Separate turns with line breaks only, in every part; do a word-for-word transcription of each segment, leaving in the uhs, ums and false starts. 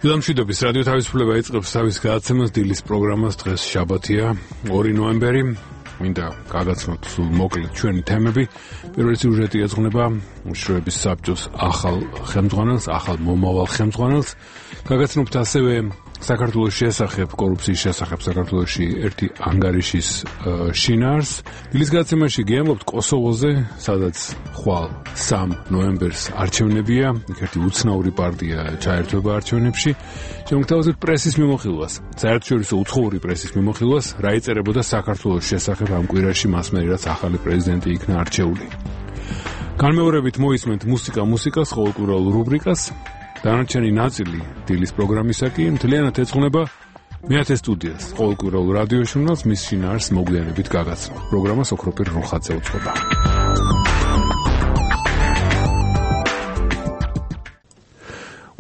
ილამშვიდობის რადიო თავისუფლება იწყებს თავის გადაცემას დილის პროგრამას. დღეს შაბათია, ორი ნოემბერი. მინდა გაგაცნოთ სულ მოკლედ ჩვენი თემები. პირველი სიუჟეტი ეძღვნება უშიშროების საბჭოს ახალ ხელმძღვანელს, ახალ მომავალ ხელმძღვანელს. გაგაცნობთ ასევე საქართველოს შესახებ, კორუფციის შესახებ საქართველოში ერთი ანგარიშის შინაარს. დილის გადაცემაში გიამბობთ კოსოვოზე, სადაც ხვალ სამ ნოემბერს არჩევნებია, ერთ-ერთი უცნაური პარტია ჩაერთვება არჩევნებში. შემოგთავაზებთ პრესის მიმოხილვას, საერთაშორისო უცხოური პრესის მიმოხილვას, რა იწერებოდა საქართველოს შესახებ ამ კვირაში მასმერი, რაც ახალი პრეზიდენტი იქნა არჩეული. განმეორებით მოისმენთ მუსიკა მუსიკას, ყოველკვირეულ რუბრიკას. დანარჩენი ნაწილი დილის პროგრამისა კი მთლიანად ეძღვნება მეათე სტუდიას, ყოველკვირეულ რადიო ჟურნალს, მის შინაარს მოგვიანებით გაგაცნობ. პროგრამას ოქროპირ როხაძე უძღვება.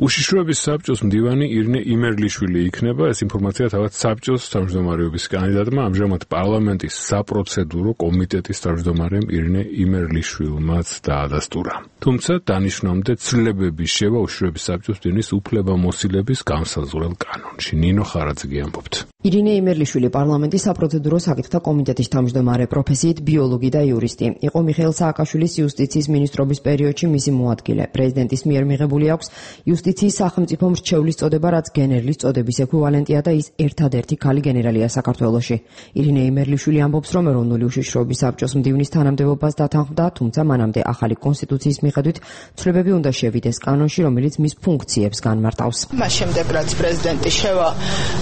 უშიშროების საბჭოს მდივანი ირინე იმერლიშვილი იქნება. ეს ინფორმაცია თავად საბჭოს თავმჯდომარეობის კანდიდატმა, ამჟამად პარლამენტის საპროცედურო კომიტეტის თავმჯდომარემ ირინე იმერლიშვილმაც დაადასტურა. თუმცა დანიშნამდე ცვლილებები შევა უშიშროების საბჭოს მდივნის უფლებამოსილების განსაზღვრელ კანონში. ნინო ხარაძე ამბობთ.
ირინე იმერლიშვილი პარლამენტის საპროცედურო საკითხთა კომიტეტის თავმჯდომარე, პროფესიით ბიოლოგი და იურისტი. იყო მიხეილ სააკაშვილის იუსტიციის მინისტრობის პერიოდში მისი მოადგილე. პრეზიდენტის მიერ მიღებული აქვს იუსტიციის სახელმწიფო მრჩევლის წოდება, რაც გენერლის წოდების ექვივალენტია და ის ერთადერთი ქალი გენერალია საქართველოში. ირინე იმერლიშვილი ამბობს, რომ ეროვნული უშიშროების საბჭოს მდივნის თანამდებობას დათანხმდა, თუმცა მანამდე ახალი კონსტიტუციის მიხედვით ცვლილებები უნდა შევიდეს კანონში, რომელიც მის ფუნქციებს განმარტავს.
მას შემდეგ, რაც პრეზიდენტი შევა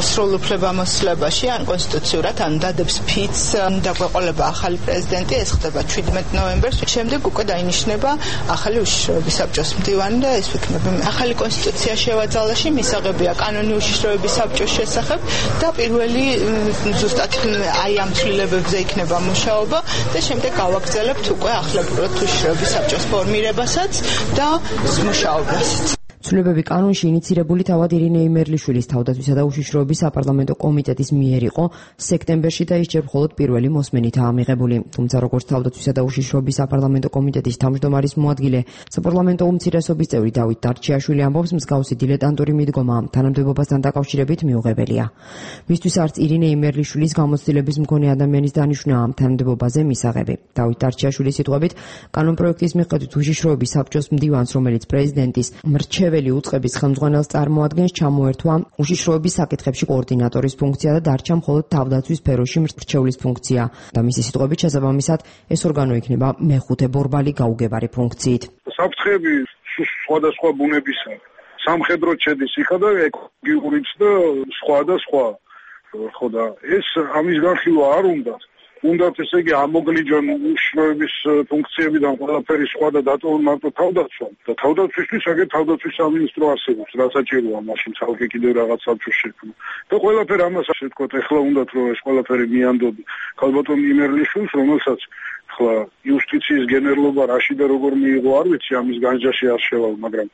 სრულ უფლებამოსილებაში, ან კონსტიტუციურად, ან დადებს ფიცს, დაგვეყოლება ახალი პრეზიდენტი, ეს ხდება ჩვიდმეტ ნოემბერს. შემდეგ უკვე დაინიშნება ახალი უშიშროების საბჭოს მდივანი და ეს ვიქნება ახალი კონსტიტუცია შევაძალაში, მისაღებია კანონი უშიშროების საბჭოს შესახებ და პირველი ზუსტად აი ამ ცვლილებებზე იქნება მუშაობა და შემდეგ გავაგრძელებთ უკვე ახლებურად უშიშროების საბჭოს ფორმირებასაც და მუშაობასაც.
ცვლილებები კანონში ინიცირებული თავად ირინე იმერლიშვილის თავდაცვისა და უშიშროების საპარლამენტო კომიტეტის მიერ იყო სექტემბერში და ის ჯერ მხოლოდ პირველი მოსმენითაა მიღებული. თუმცა როგორც თავდაცვისა და უშიშროების საპარლამენტო კომიტეტის თავმჯდომარის მოადგილე, საპარლამენტო უმცირესობის წევრი დავით დარჩიაშვილი ამბობს, მსგავსი დილეტანტური მიდგომა თანამდებობასთან დაკავშირებით მიუღებელია. მისთვის არც ირინე იმერლიშვილის გამოცდილების მქონე ადამიანის დანიშვნა ამ თანამდებობაზე მისაღები. დავით დარჩიაშვილის სიტყვებით, კანონპროექტის მიხედვით უშიშროების საბჭოს მდივანს, რომელიც პრეზიდენტის მრჩეველი უწყების ხელმძღვანელს წარმოადგენს, ჩამოერთვა უშიშროების საკითხებში კოორდინატორის ფუნქცია და დარჩა მხოლოდ თავდაცვის სფეროში მრჩევლის ფუნქცია და მისი სიტყვებით შესაბამისად ეს ორგანო იქნება მეხუთე ბორბალი გაუგებარი ფუნქციით.
საფრთხეები სხვადასხვა ბუნებისა, სამხედრო ჩედის იქა და ეკოლოგიურიც და სხვა და სხვა. ხო და ეს ამის განხილვა არ უნდა. უნდათ ესე იგი ამოგლიჯონ უშიშროების ფუნქციებიდან ყველაფერი სხვა და დატოვონ მარტო თავდაცვა და თავდაცვისთვის აგერ თავდაცვის სამინისტრო არსებობს, რა საჭიროა მაშინ ცალკე კიდევ რაღაც საბჭოს შექმნა და ყველაფერი ამას ასე ვთქვათ, ეხლა უნდათ რომ ეს ყველაფერი მიანდოდ ქალბატონ იმერლიშვილს, რომელსაც ხლა იუსტიციის გენერლობა რაში და როგორ მიიღო არ ვიცი, ამის განჯაში არ შევალ, მაგრამ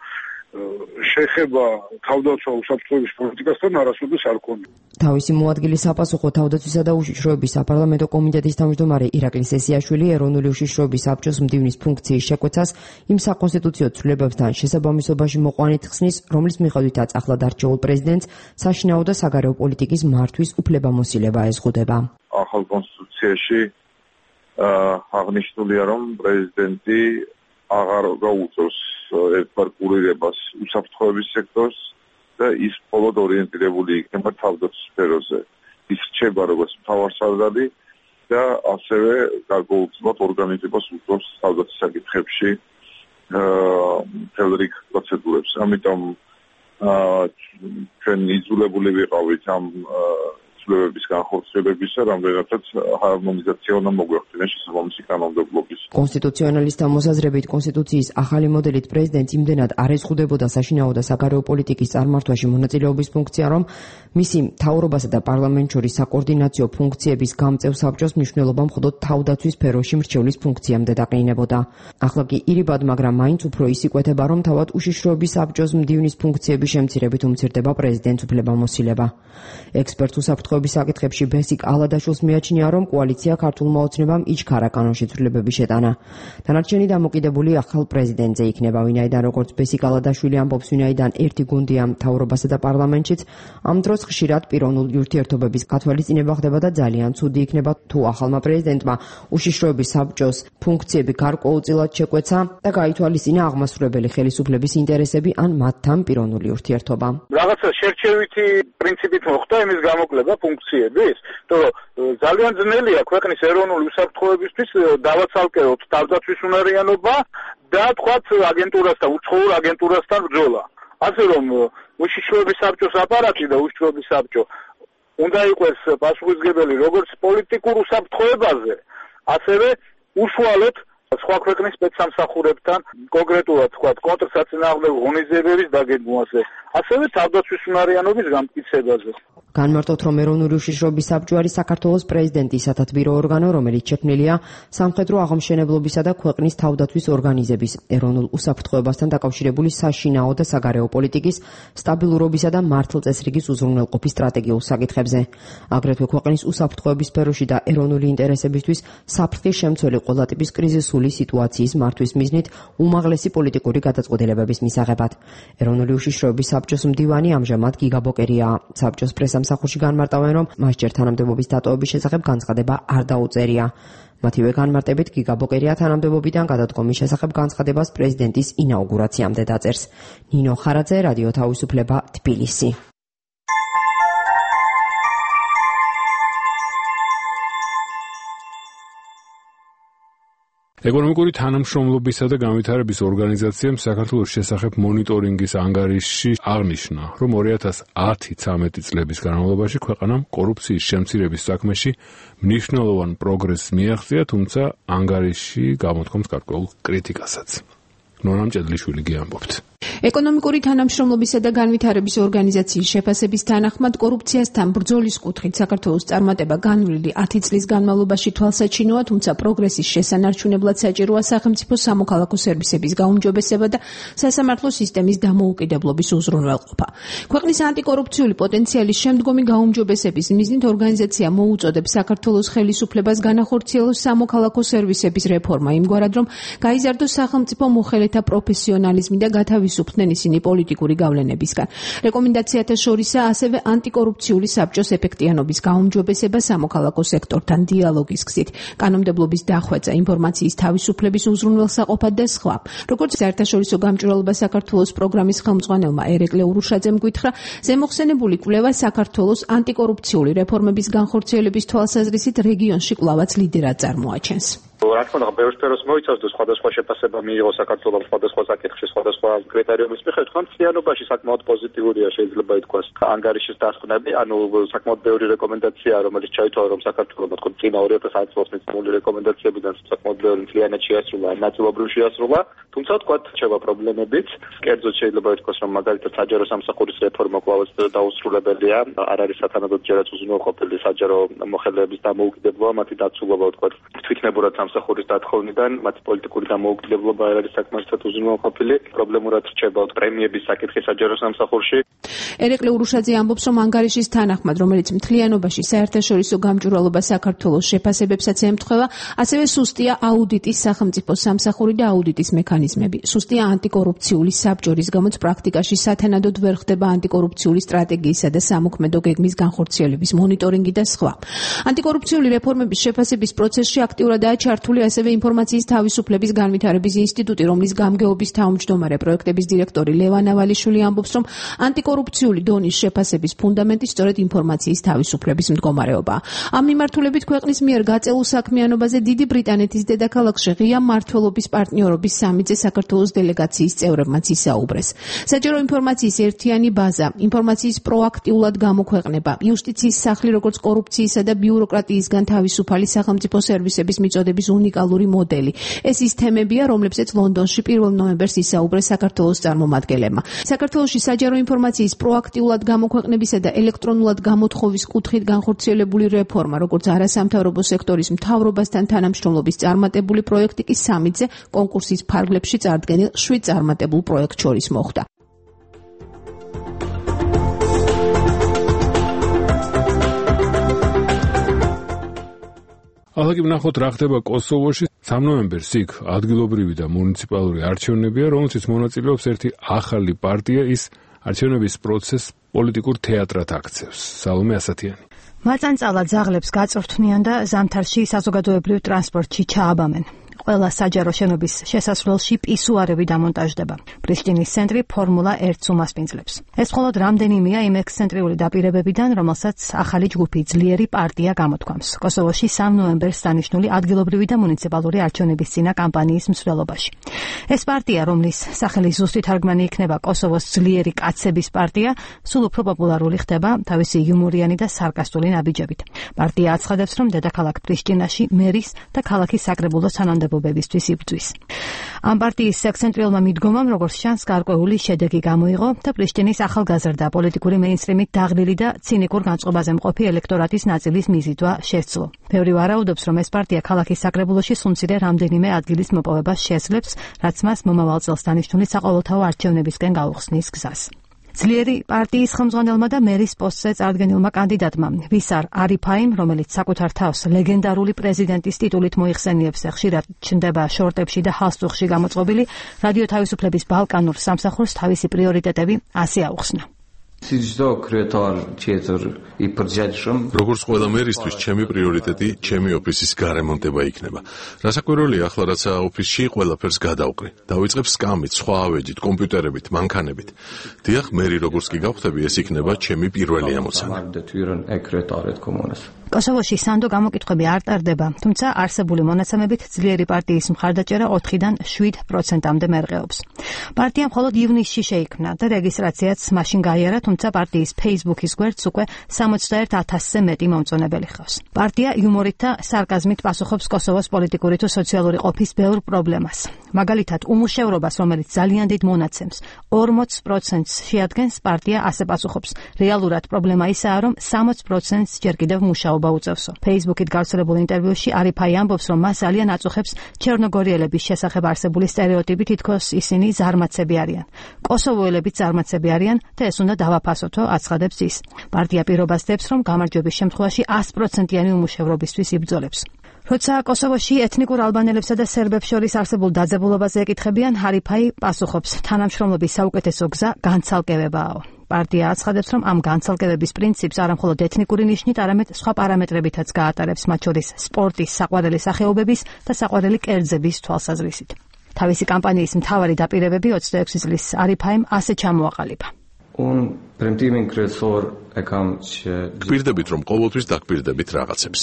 შეხება თავდაცვა უსაფრთხოების პოლიტიკასთან არასოდეს არ ქონია.
თავისი მოადგილის საპასუხო თავდაცვისა და უშიშროების საპარლამენტო კომიტეტის თავმჯდომარე ირაკლი სესიაშვილი ეროვნული უშიშროების საბჭოს მდივნის ფუნქციის შეკვეცას იმ საკონსტიტუციო ცვლილებებთან შესაბამისობაში მოყვანით ხსნის, რომლის მიხედვითაც ახლად არჩეულ პრეზიდენტს საშინაო და საგარეო პოლიტიკის მართვის უფლებამოსილება ეზღუდება.
ახალ კონსტიტუციაში აღნიშნულია, რომ პრეზიდენტი აღარ გაუწევს ერთბარ კურირებას უსაფრთხოების სექტორს და ის მხოლოდ ორიენტირებული იქნება თავდაცვის სფეროზე. ის რჩება როგორც მთავარსარდალი და ასევე გარკვეულწილად ორგანიზებას უწევს თავდაცვის საკითხებში მთელ რიგ პროცედურებს. ამიტომ ჩვენ იძულებული ვიყავით ამ ცვლილებების განხორციელებისა, რამდენადაც ჰარმონიზაცია უნდა მოგვეხდინოს შესაბამისი კანონმდებლობის.
კონსტიტუციონალისტთა მოსაზრებით, კონსტიტუციის ახალი მოდელით პრეზიდენტს იმდენად არ ეზღუდებოდა საშინაო და საგარეო პოლიტიკის წარმართვაში მონაწილეობის ფუნქცია, რომ მისი მთავრობასა და პარლამენტს შორის საკოორდინაციო ფუნქციების გამწევ საბჭოს მნიშვნელობა მხოლოდ თავდაცვის სფეროში მრჩევლის ფუნქციამდე დაყრინებოდა. ახლა კი ირიბად, მაგრამ მაინც უფრო ის იკვეთება, რომ თავად უშიშროების საბჭოს მდივნის ფუნქციების შემცირებით უმცირდება პრეზიდენტს უფლებამოსილება. ექსპერტ უსაფრთხო უსაფრთხოების საკითხებში ბესიკ ალადაშვილს მიაჩნია, რომ კოალიცია ქართულმა ოცნებამ იჩქარა კანონში ცვლილებების შეტანა. დანარჩენი დამოკიდებული ახალ პრეზიდენტზე იქნება, ვინაიდან როგორც ბესიკ ალადაშვილი ამბობს, ვინაიდან ერთი გუნდია მთავრობასა და პარლამენტშიც, ამ დროს ხშირად პიროვნული ურთიერთობების გათვალისწინება ხდება და ძალიან ცუდი იქნება თუ ახალმა პრეზიდენტმა უშიშროების საბჭოს ფუნქციები გარკვეულწილად შეკვეცა და გაითვალისწინა აღმასრულებელი ხელისუფლების ინტერესები ან მათთან პიროვნული ურთიერთობა.
რაღაცა შერჩევითი პრინციპით მოხდა იმის გამოკლება ფუნქციების, რომ ძალიან ძნელია ქვეყნის ეროვნული უსაფრთხოებისთვის დავაცალკეოთ თავდაცვის უნარიანობა და თქვათ აგენტურასთან, უცხოურ აგენტურასთან ბრძოლა. ასე რომ უშიშროების საბჭოს აპარატი და უშიშროების საბჭო უნდა იყოს პასუხისმგებელი როგორც პოლიტიკურ უსაფრთხოებაზე, ასევე უშუალოდ სხვა ქვეყნის სპეცსამსახურებთან, კონკრეტულად თქვათ კონტრსაწინააღმდეგო ღონისძიებების დაგეგმვაზე, ასევე თავდაცვის უნარიანობის გამტკიცებაზე.
განმარტოთ, რომ ეროვნული უშიშროების საბჭო არის საქართველოს პრეზიდენტის სათათბირო ორგანო, რომელიც შექმნილია სამხედრო აღმშენებლობისა და ქვეყნის თავდაცვის ორგანიზების, ეროვნულ უსაფრთხოებასთან დაკავშირებული საშინაო და საგარეო პოლიტიკის, სტაბილურობისა და მართლწესრიგის უზრუნველყოფის სტრატეგიულ საკითხებზე. აგრეთვე ქვეყნის უსაფრთხოების სფეროში და ეროვნული ინტერესებისთვის საფრთხის შემცველი ყველა ტიპის კრიზისული სიტუაციის მართვის მიზნით უმაღლესი პოლიტიკური გადაწყვეტილებების მისაღებად. ეროვნული უშიშროების საბჭოს მდივანი ამჟამად გიგა ბოკერია. საბჭოს პრესამსახურში განმარტავენ, რომ მას ჯერ თანამდებობის დატოვების შესახებ განცხადება არ დაუწერია. მათივე განმარტებით გიგა ბოკერია თანამდებობიდან გადადგომის შესახებ განცხადებას პრეზიდენტის ინაუგურაციამდე დაწერს. ნინო ხარაძე, რადიო თავისუფლება, თბილისი.
ეკონომიკური თანამშრომლობისა და განვითარების ორგანიზაციამ საქართველოს შესახებ მონიტორინგის ანგარიშში აღნიშნა, რომ ორი ათას ათი ცხრამეტი წლების განმავლობაში ქვეყანამ კორუფციის შემცირების საქმეში მნიშვნელოვან პროგრესს მიაღწია, თუმცა ანგარიში გამოთქვამს გარკვეულ კრიტიკასაც. ნონა მჭედლიშვილი გიამბობთ.
ეკონომიკური თანამშრომლობისა და განვითარების ორგანიზაციის შეფასების თანახმად კორუფციასთან ბრძოლის კუთხით საქართველოს წარმატება განვლილი ათი წლის განმავლობაში თვალსაჩინოა, თუმცა პროგრესის შესანარჩუნებლად საჭიროა სახელმწიფო სამოქალაქო სერვისების გაუმჯობესება და სასამართლო სისტემის დამოუკიდებლობის უზრუნველყოფა. ქვეყნის ანტიკორუფციული პოტენციალის შემდგომი გაუმჯობესების მიზნით ორგანიზაცია მოუწოდებს საქართველოს ხელისუფლებას განახორციელოს სამოქალაქო სერვისების რეფორმა იმგვარად, რომ გაიზარდოს სახელმწიფო მოხელეთა პროფესიონალიზმი და გათავისუფლდნენ ისინი პოლიტიკური გავლენებისგან. რეკომენდაციათა შორისაა ასევე ანტიკორუფციული საბჭოს ეფექტიანობის გაუმჯობესება სამოქალაქო სექტორთან დიალოგის გზით, კანონმდებლობის დახვეწა, ინფორმაციის თავისუფლების უზრუნველსაყოფად და სხვა. როგორც საერთაშორისო გამჭვირვალობა საქართველოს პროგრამის ხელმძღვანელმა ერეკლე ურუშაძემ გითხრა, ზემოხსენებული კვლევა საქართველოს ანტიკორუფციული რეფორმების განხორციელების თვალსაზრისით რეგიონში კვლავაც ლიდერად წარმოაჩენს.
რა თქმა უნდა, ბევრ სფეროს მოიცავს და სხვადასხვა შეფასება მიიღო საქართველოს სხვადასხვა საკითხში, სხვადასხვა კრიტერიუმის მიხედვით, თუმცა მთლიანობაში საკმაოდ პოზიტიურია შეიძლება ითქვას ანგარიშის დასკვნები, ანუ საკმაოდ ბევრი რეკომენდაცია, რომელიც ჩაითვალა, რომ საქართველოს თქო წინა ორი ათას ათი წლის მიცემული რეკომენდაციებიდან საკმაოდ ბევრი მთლიანად შეასრულა, ნაწილობრივ შეასრულა, თუმცა თქვა რჩება პრობლემებიც. კერძოდ შეიძლება ითქვას, რომ მაგალითად საჯარო სამსახურის რეფორმა კვლავაც დაუსრულებელია, არ არის სათანადოდ ჯერაც უზრუნველყოფილი საჯარო მოხელეების დამოუკიდებლობა, მათი დაცულობა თქვა თვითნებურად სამსახურის დათხოვნიდან, მათი პოლიტიკური დამოუკიდებლობა არ არის საკმარისად უზრუნველყოფილი, პრობლემურად რჩება პრემიების საკითხი საჯარო სამსახურში.
ერეკლე ურუშაძე ამბობს, რომ ანგარიშის თანახმად, რომელიც მთლიანობაში საერთაშორისო გამჭვირვალობა საქართველოს შეფასებებსაც ემთხვევა, ასევე სუსტია აუდიტის სახელმწიფო სამსახური და აუდიტის მექანიზმები. სუსტია ანტიკორუფციული საბჭორის გამოც პრაქტიკაში სათანადოდ ვერ ხდება ანტიკორუფციული სტრატეგიისა და სამოქმედო გეგმის განხორციელების მონიტორინგი და სხვა. ანტიკორუფციული რეფორმების შეფასების პროცესში აქტიურადაა ჩართული ასევე ინფორმაციის თავისუფლების განვითარების ინსტიტუტი, რომლის გამგეობის თავმჯდომარე პროექტების დირექტორი ლევან ავალიშვილი ამბობს, რომ ანტიკორუფციული დონის შეფასების ფუნდამენტი სწორედ ინფორმაციის თავისუფლების მდგომარეობაა. ამ მიმართულებით ქვეყნის მიერ გაწეულ საქმიანობაზე დიდი ბრიტანეთის დედაქალაქში ღია მმართველობის პარტნიორობის სამიტზე საქართველოს დელეგაციის წევრებმაც ისაუბრეს. საჯარო ინფორმაციის ერთიანი ბაზა, ინფორმაციის პროაქტიულად გამოქვეყნება, იუსტიციის სახლი როგორც კორუფციისა და ბიუროკრატიისგან თავისუფალი სახელმწიფო სერვისების მიწოდების უნიკალური მოდელი. ეს ის თემებია, რომლებზეც ლონდონში პირველ ნოემბერს ისაუბრეს საქართველოს წარმომადგენლებმა. საქართველოში საჯარო ინფორმაციის პროაქტიულად გამოქვეყნებისა და ელექტრონულად გამოთხოვის კუთხით განხორციელებული რეფორმა, როგორც არასამთავრობო სექტორის მთავრობასთან თანამშრომლობის წარმატებული პროექტი კი სამიტზე კონკურსის ფარგლებში წარდგენილ შვიდ წარმატებულ პროექტ შორის მოხდა.
ახლა კი ვნახოთ რა ხდება კოსოვოში. სამი ნოემბერს იქ ადგილობრივი და მუნიციპალური არჩევნებია, რომელშიც მონაწილეობს ერთი ახალი პარტია, ის არჩევნების პროცესს პოლიტიკურ თეატრად აქცევს. სალომე ასათიანი.
მაწანწალა ძაღლებს გაწვრთნიან და ზამთარში საზოგადოებრივ ტრანსპორტში ჩააბამენ. ყველა საჯარო შენობის შესასვლელში პისუარები დამონტაჟდება. პრიშტინის ცენტრი ფორმულა ერთს უმასპინძლებს. ეს მხოლოდ რამდენიმეა იმ ექსცენტრიული დაპირებებიდან, რომელსაც ახალი ჯგუფი ძლიერი პარტია გამოთქვამს. კოსოვოში სამი ნოემბერს დანიშნული ადგილობრივი და მუნიციპალური არჩევნების წინა კამპანიის მსვლელობაში. ეს პარტია, რომლის სახელი ზუსტი თარგმანი იქნება კოსოვოს ძლიერი კაცების პარტია, სულ უფრო პოპულარული ხდება თავისი იუმორიანი და სარკასტული ნაბიჯებით. პარტია აცხადებს, რომ დედაქალაქ პრიშტინაში მერის და ქალაქის საკრებულო თანამდებობებისთვის იბრძვის. ამ პარტიის ექსცენტრიულმა მიდგომამ, როგორც ჩანს, გარკვეული შედეგი გამოიღო და პრიშტინის ახალგაზრდა პოლიტიკური მეინსტრიმით დაღლილი და ცინიკურ განწყობაზე მყოფი ელექტორატის ნაწილის მიზიდვა შესძლო. ბევრი ვარაუდობს, რომ ეს პარტია ქალაქის საკრებულოში სულ-მცირე რამდენიმე ადგილის მოპოვებას შეძლებს, რაც მას მომავალ წელს დანიშნული საყოველთაო არჩევნებისკენ გაუხსნის გზას. ძლიერი პარტიის ხელმძღვანელმა და მერის პოსტზე წარდგენილმა კანდიდატმა ვისარ არიფაიმ, რომელიც საკუთარ თავს ლეგენდარული პრეზიდენტის ტიტულით მოიხსენიებს და ხშირად ჩნდება შორტებში და ჰალსტუხში გამოწყობილი, რადიო თავისუფლების ბალკანურ სამსახურს თავისი პრიორიტეტები ასე აუხსნა.
როგორც ყველა მერისთვის, ჩემი პრიორიტეტი ჩემი ოფისის გარემონტება იქნება. რასაკვირველია, ახლა რაცა ოფისში ყველაფერს გადავყრი. დავიწყებ სკამით, სხვა ავეჯით, კომპიუტერებით, მანქანებით. დიახ, მერი როგორც კი გავხდები, ეს იქნება ჩემი პირველი ამოცანა.
კოსოვოში სანდო გამოკითხვები არ ტარდება, თუმცა არსებული მონაცემებით ძლიერი პარტიის მხარდაჭერა ოთხიდან შვიდ პროცენტამდე მერყეობს. პარტია მხოლოდ ივნისში შეიქმნა და რეგისტრაციაც მაშინ გაიარა, თუმცა პარტიის Facebook-ის გვერდს უკვე სამოცდაერთ ათასზე მეტი მომწონებელი ჰყავს. პარტია იუმორით და სარკაზმით პასუხობს კოსოვოს პოლიტიკური თუ სოციალური ყოფის ბევრ პრობლემას. მაგალითად, უმუშევრობას, რომელიც ძალიან დიდ მონაცემს ორმოც პროცენტს შეადგენს, პარტია ასე პასუხობს. რეალურად პრობლემა ისაა, რომ სამოც პროცენტს ჯერ კიდევ მუშაობა უწევსო. Facebook-ით გავრცელებულ ინტერვიუში არიფაი ამბობს, რომ მას ძალიან აწუხებს ჩერნოგორიელების შესახებ არსებული სტერეოტიპი, თითქოს ისინი ზარმაცები არიან. კოსოვოელებიც ზარმაცები არიან და ეს უნდა დავაფასოთო, აცხადებს ის. პარტია პირობას დებს, რომ გამარჯვების შემთხვევაში ას პროცენტიანი უმუშევრობისთვის იბრძოლებს. როცა კოსოვოში ეთნიკურ ალბანელებსა და სერბებს შორის არსებულ დაძაბულობაზე ეკითხებიან, არიფაი პასუხობს, თანამშრომლობის საუკეთესო გზა განცალკევებაა. პარტია აცხადებს, რომ ამ განცალკევების პრინციპს არამხოლოდ ეთნიკური ნიშნით, არამედ სხვა პარამეტრებითაც გაატარებს, მათ შორის სპორტის, საყვარელი სახეობების და საყვარელი კერძების თვალსაზრისით. თავისი კამპანიის მთავარი დაპირებები ოცდაექვსი წლის არიფაიმ ასე ჩამოაყალიბა.
გპირდებით, რომ ყოველთვის დაგპირდებით რაღაცებს.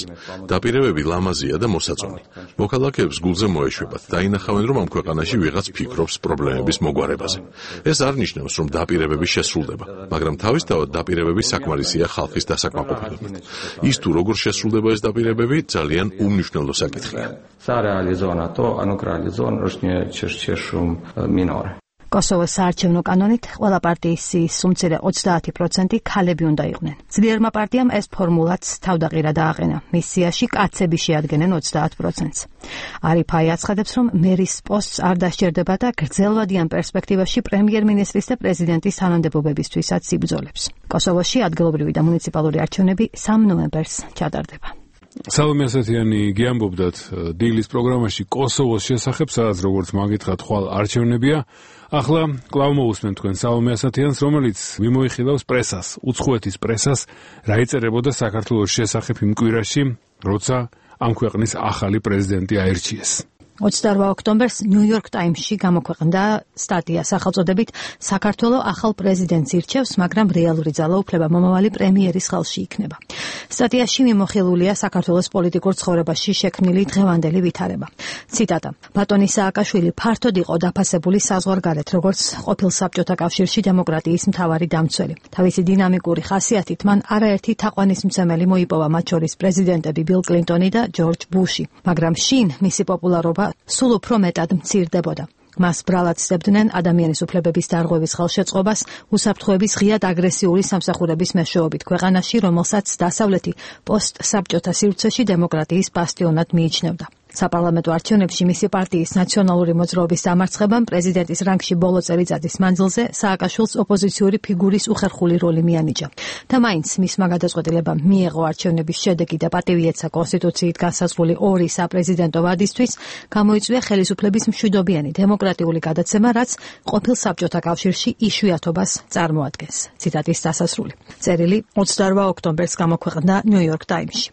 დაპირებები ლამაზია და მოსაწონი. მოქალაქეებს გულზე მოეშვებათ, დაინახავენ, რომ ამ ქვეყანაში ვიღაც ფიქრობს პრობლემების მოგვარებაზე. ეს არ ნიშნავს, რომ დაპირებები შესრულდება, მაგრამ თავისთავად დაპირებები საკმარისია ხალხის დასაკმაყოფილებლად. ის თუ როგორ შესრულდება ეს დაპირებები, ძალიან უმნიშვნელო საკითხია.
კოსოვოს საარჩევნო კანონით ყველა პარტიის სუმცირე ოცდაათი პროცენტი ქალები უნდა იყვნენ. ძლიერმა პარტიამ ეს ფორმულაც თავდაყირა დააყენა. მის სიაში კაცები შეადგენენ ოცდაათ პროცენტს. არიფაი აცხადებს, რომ მერის პოსტს არ დასჭირდება და გრძელვადიან პერსპექტივაში პრემიერ-მინისტრის და პრეზიდენტის თანამდებობებისთვისაც იბრძოლებს. კოსოვოში ადგილობრივი და მუნიციპალური არჩევნები სამი ნოემბერს ჩატარდება.
სალომე ასათიანი გიამბობდათ დილის პროგრამაში კოსოვოს შესახებ, სადაც როგორც მაგითხათ, ხვალ არჩევნებია. ახლა კვლავ მოусმენ თქვენ სალომე ასათიანს, რომელიც მიმოიხილავს პრესას, უცხოეთის პრესას, რა იწერებოდა საქართველოს შესახებ იმ კვირაში, როცა ამ ქვეყნის ახალი პრეზიდენტი აირჩიეს.
ოცდაორ ოქტომბერს ნიუ-იორკ ტაიმსში გამოქვეყნდა სტატია სახელწოდებით საქართველო ახალ პრეზიდენტს ირჩევს, მაგრამ რეალური ძალაუფლება მომავალი პრემიერის ხელში იქნება. სტატიაში მიმოხილულია საქართველოს პოლიტიკურ ცხოვრებაში შექმნილი დღევანდელი ვითარება. ციტატა: ბატონი სააკაშვილი ფართოდ იყო დაფასებული საზღვარგარეთ, როგორც ყოფილ საბჭოთა კავშირში დემოკრატიის მთავარი დამცველი. თავისი დინამიკური ხასიათით მან არაერთი თაყვანისმცემელი მოიპოვა, მათ შორის პრეზიდენტები ბილ კლინტონი და ჯორჯ ბუში, მაგრამ შინ მისი პოპულარობა სულ უფრო მეტად მცირდებოდა. მას ბრალად სდებდნენ ადამიანის უფლებების დარღვევის ხელშეწყობას, უსაფრთხოების ღიად აგრესიული სამსახურების მეშვეობით ქვეყანაში, რომელსაც დასავლეთი პოსტ-საბჭოთა სივრცეში დემოკრატიის ბასტიონად მიიჩნევდა. საპარლამენტო არჩევნებში მისი პარტიის ნაციონალური მოძრაობის დამარცხებამ პრეზიდენტის რანგში ბოლო წელიწადის მანძილზე სააკაშვილს ოპოზიციური ფიგურის უხერხული როლი მიანიჭა. და მაინც მისმა გადაწყვეტილებამ მიიღო არჩევნების შედეგი და პატივი ეცა კონსტიტუციით განსაზღვრული ორი საპრეზიდენტო ვადისთვის, გამოიწვია ხელისუფლების მშვიდობიანი დემოკრატიული გადაცემა, რაც ყოფილ საბჭოთა კავშირში იშვიათობას წარმოადგენს. ციტატის დასასრული. წერილი ოცდაორ ოქტომბერს გამოქვეყნდა ნიუ-იორკ ტაიმსში.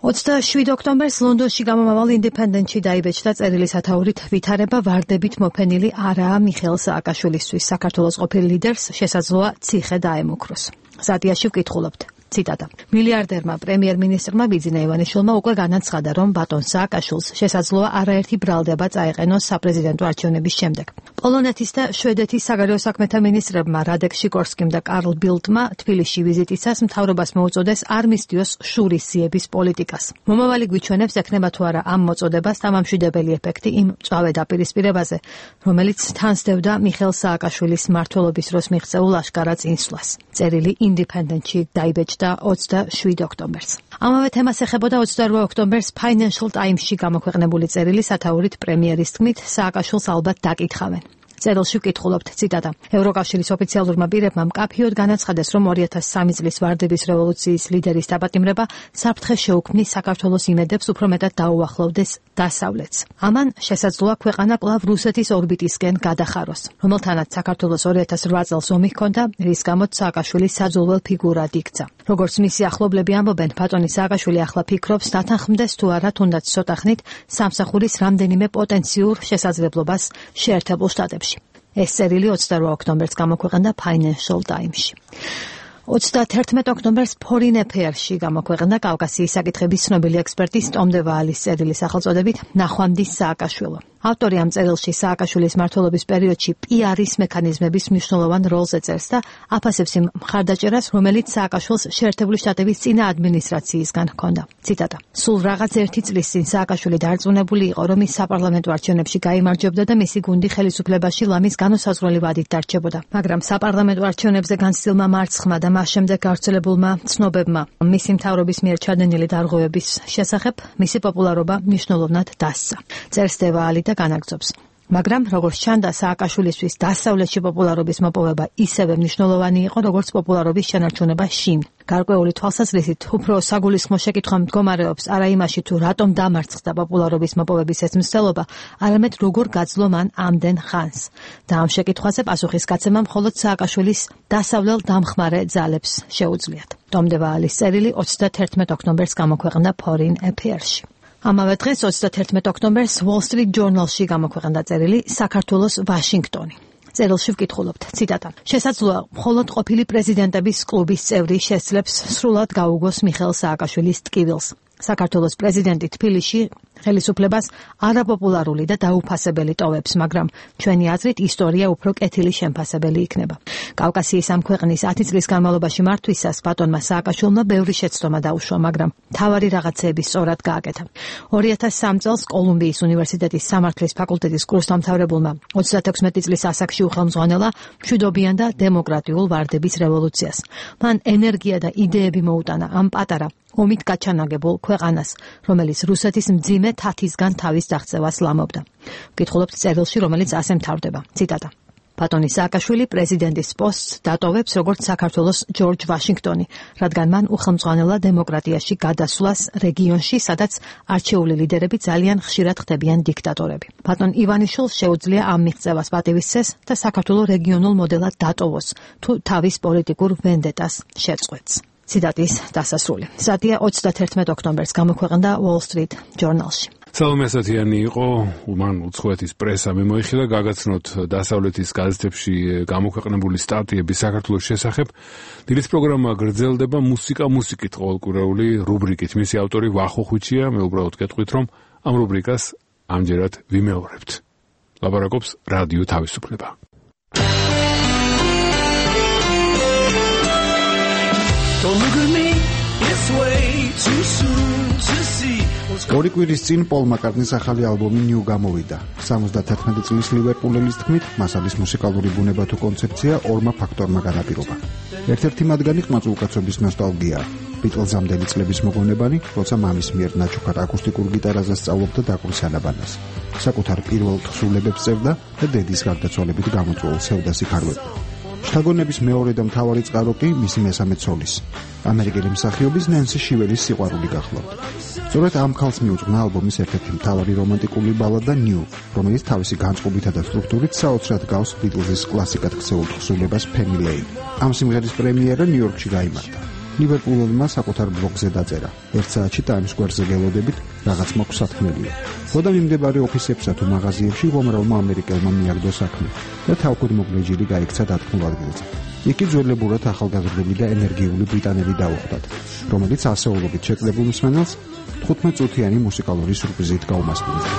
ოცდაშვიდ ოქტომბერს ლონდონში გამომავალ ინდეპენდენტში დაიბეჭდა წერილის ათაურით ვითარება ვარდებით მოფენილი არაა მიხეილ სააკაშვილისთვის. საქართველოს ყოფილ ლიდერს შესაძლოა ციხე დაემუქროს. სტატიაში ვკითხულობთ. ციტატა. მილიარდერმა პრემიერ-მინისტრმა ბიძინა ივანიშვილმა უკვე განაცხადა, რომ ბატონ სააკაშვილს შესაძლოა არაერთი ბრალდება წაეყენოს საპრეზიდენტო არჩევნების შემდეგ. პოლონეთის და შვედეთის საგარეო საქმეთა მინისტრებმა რადეკ შიკორსკიმ და კარლ ბილდმა თბილისში ვიზიტისას მთავრობას მოუწოდეს არ მისდიოს შურისძიების პოლიტიკას. მომავალი გვიჩვენებს ექნება თუ არა ამ მოწოდებას დამამშვიდებელი ეფექტი იმ მწვავე დაპირისპირებაზე, რომელიც თან სდევდა მიხეილ სააკაშვილის მმართველობის დროს მიღწეულ აშკარა წინსვლას. წერილი ინდეპენდენტში დაიბეჭდა ოცდაშვიდ ოქტომბერს. ამავე თემას ეხებოდა ოცდაორ ოქტომბერს Financial Times-ში გამოქვეყნებული წერილი სათაურით პრემიერის თქმით, სააკაშვილს ალბათ დაკითხავენ. წერილში ვკითხულობთ. ციტატა. ევროკავშირის ოფიციალურმა პირებმა მკაფიოდ განაცხადეს, რომ ორი ათას სამი წლის ვარდების რევოლუციის ლიდერის დაპატიმრება საფრთხეს შეუქმნის საქართველოს იმედებს უფრო მეტად დაუახლოვდეს დასავლეთს. ამან შესაძლოა ქვეყანა კვლავ რუსეთის ორბიტისკენ გადახაროს, რომელთანაც საქართველოს ორი ათას რვა წელს ომი ჰქონდა, რის გამოც სააკაშვილი საძულველ ფიგურად იქცა. როგორც მისი ახლობლები ამბობენ, ბატონი სააკაშვილი ახლა ფიქრობს დათანხმდეს თუ არა თუნდაც ცოტა ხნით სამსახურის რამდენიმე პოტენციურ შესაძლებლობას შეერთებულ შტატებში. ეს წერილი ოცდაორ ოქტომბერს გამოქვეყნდა Financial Times-ში. ოცდაათერთმეტ ოქტომბერს Foreign Affairs-ში გამოქვეყნდა კავკასიის საკითხების ცნობილი ექსპერტის ტომ დე ვალის წერილი სახელწოდებით ნახვამდის სააკაშვილო. ავტორი ამ წერილში სააკაშვილის მმართველობის პერიოდში პი არ-ის მექანიზმების მნიშვნელოვან როლს ეწერს და აფასებს იმ მხარდაჭერას, რომელიც სააკაშვილს შეერთებული შტატების წინა ადმინისტრაციისგან ჰქონდა. ციტატა. სულ რაღაც ერთი წლის წინ სააკაშვილი დარწმუნებული იყო, რომ ის საპარლამენტო არჩევნებში გაიმარჯვებდა და მისი გუნდი ხელისუფლებაში ლამის განუსაზღვრელი ვადით დარჩებოდა. მაგრამ საპარლამენტო არჩევნებზე განცდილმა მარცხმა და მას შემდეგ გავრცელებულმა ცნობებმა მისი მთავრობის მიერ ჩადენილი დარღვევების შესახებ მისი პოპულარობა მნიშვნელოვნად დასცა. წერს დე ვალი და განაგრძობს. მაგრამ როგორც ჩანდა, სააკაშვილისთვის დასავლეთში პოპულარობის მოპოვება ისევე მნიშვნელოვანი იყო, როგორც პოპულარობის შენარჩუნება შინ. გარკვეული თვალსაზრისით უფრო საგულისხმო შეკითხვა მდგომარეობს არა იმაში, თუ რატომ დამარცხდა პოპულარობის მოპოვების ეს მცდელობა, არამედ როგორ გაძლო მან ამდენ ხანს. და ამ შეკითხვაზე პასუხის გაცემა მხოლოდ სააკაშვილის დასავლელ დამხმარე ძალებს შეუძლიათ. ტომ დე ვალის წერილი ოცდაათერთმეტ ოქტომბერს გამოქვეყნდა Foreign Affairs-ში. ამავე დღეს ოცდაათერთმეტ ოქტომბერს Wall Street Journal-ში გამოქვეყნდა წერილი საქართველოს ვაშინგტონი. წერილში ვკითხულობთ. ციტატა. შესაძლოა მხოლოდ ყოფილი პრეზიდენტების კლუბის წევრი შესძლებს სრულად გაუგოს მიხეილ სააკაშვილის ტკივილს. საქართველოს პრეზიდენტი თბილისში ხელისუფლებას არაპოპულარული და დაუფასებელი ტოვებს, მაგრამ ჩვენი აზრით ისტორია უფრო კეთილი შემფასებელი იქნება. კავკასიის ამ ქვეყნის ათი წლის განმავლობაში მართვისას ბატონმა სააკაშვილმა ბევრი შეცდომა დაუშვა, მაგრამ მთავარი რაღაცეები სწორად გააკეთა. ორი ათას სამი წელს კოლუმბიის უნივერსიტეტის სამართლის ფაკულტეტის კურსდამთავრებულმა ოცდათექვსმეტი წლის ასაკში უხელმძღვანელა მშვიდობიან და დემოკრატიულ ვარდების რევოლუციას. მან ენერგია და იდეები მოუტანა ამ პატარა ომით გაჩანაგებულ ქვეყანას, რომელიც რუსეთის მძიმე თათისგან თავის დაღწევას ლამობდა. ვკითხულობთ წერილში, რომელიც ასე მთავრდება. ციტატა. ბატონი სააკაშვილი პრეზიდენტის პოსტს დატოვებს როგორც საქართველოს ჯორჯ ვაშინგტონი, რადგან მან უხელმძღვანელა დემოკრატიაში გადასვლას რეგიონში, სადაც არჩეული ლიდერები ძალიან ხშირად ხდებიან დიქტატორები. ბატონ ივანიშვილს შეუძლია ამ მიღწევას პატივისცეს და საქართველოს რეგიონულ მოდელად დატოვოს, თუ თავის პოლიტიკურ ვენდეტას შეწყვეტს. ციტატის დასასრული. სტატია ოცდაათერთმეტ ოქტომბერს გამოქვეყნდა Wall Street Journal-ში.
სალომე ასათიანი იყო, მან უცხოეთის პრესა მიმოიხილა, გაგაცნოთ დასავლეთის გაზეთებში გამოქვეყნებული სტატიები საქართველოს შესახებ. დილის პროგრამა გრძელდება მუსიკა მუსიკით ყოველკვირეული რუბრიკით. მისი ავტორი ვახო ხვიჩია, მე უბრალოდ გეტყვით, რომ ამ რუბრიკას ამჯერად ვიმეორებთ. ლაპარაკობს რადიო თავისუფლება.
Don't look at me, it's way too soon to see.
ორი კვირის წინ პოლ მაკარტნის ახალი ალბომი New გამოვიდა. სამოცდათერთმეტი წლის ლივერპულელის თქმით, მას არის მუსიკალური ბუნება თუ კონცეფცია ორმა ფაქტორმა განაპირობა. ერთ-ერთი მათგანი ყმაწულკაცობის ნოსტალგიაა. ბიტლზამდელი წლების მოგონებანი, როცა მამის მიერ ნაჩუქარ აკუსტიკურ გიტარაზე სწავლობდა დაკვრის ანაბანას. საკუთარ პირველ თხზულებებს წერდა და დედის გარდაცვალებით გამოწვეულ სევდას იკარვებდა. შთაგონების მეორე და მთავარი წყარო კი მისი მესამე ცოლის, ამერიკელი მსახიობის ნენსი შიველის სიყვარული გახლავთ. სწორედ ამ ქალს მიუძღვნა ალბომის ერთ-ერთი მთავარი რომანტიკული ბალადა New, რომელიც თავისი განწყობითა და სტრუქტურით საოცრად გავს ბიტლზის კლასიკად ქცეულ თხზულებას Penny Lane. ამ სიმღერის პრემიერა ნიუ-იორკში გაიმართა. ლივერპულებმა საკუთარ ბლოგზე დაწერა. ერთ საათში Times Square-ზე გელოდებით რაღაც მაქვს სათქმელია. ხოდა მიმდებარე ოფისებსა თუ მაღაზიებში უამრავმა ამერიკელმა მიაგდო საქმე და თავქუდ მოგლეჯილი გაიქცა დათქმულ ადგილზე. იქ ძველებურად ახალგაზრდული და ენერგიული ბრიტანელი დაუხვდათ, რომელიც ასეულობით შეკლებულ მსმენელს თხუთმეტ წუთიანი მუსიკალური სურპრიზით გაუმასპინძლა.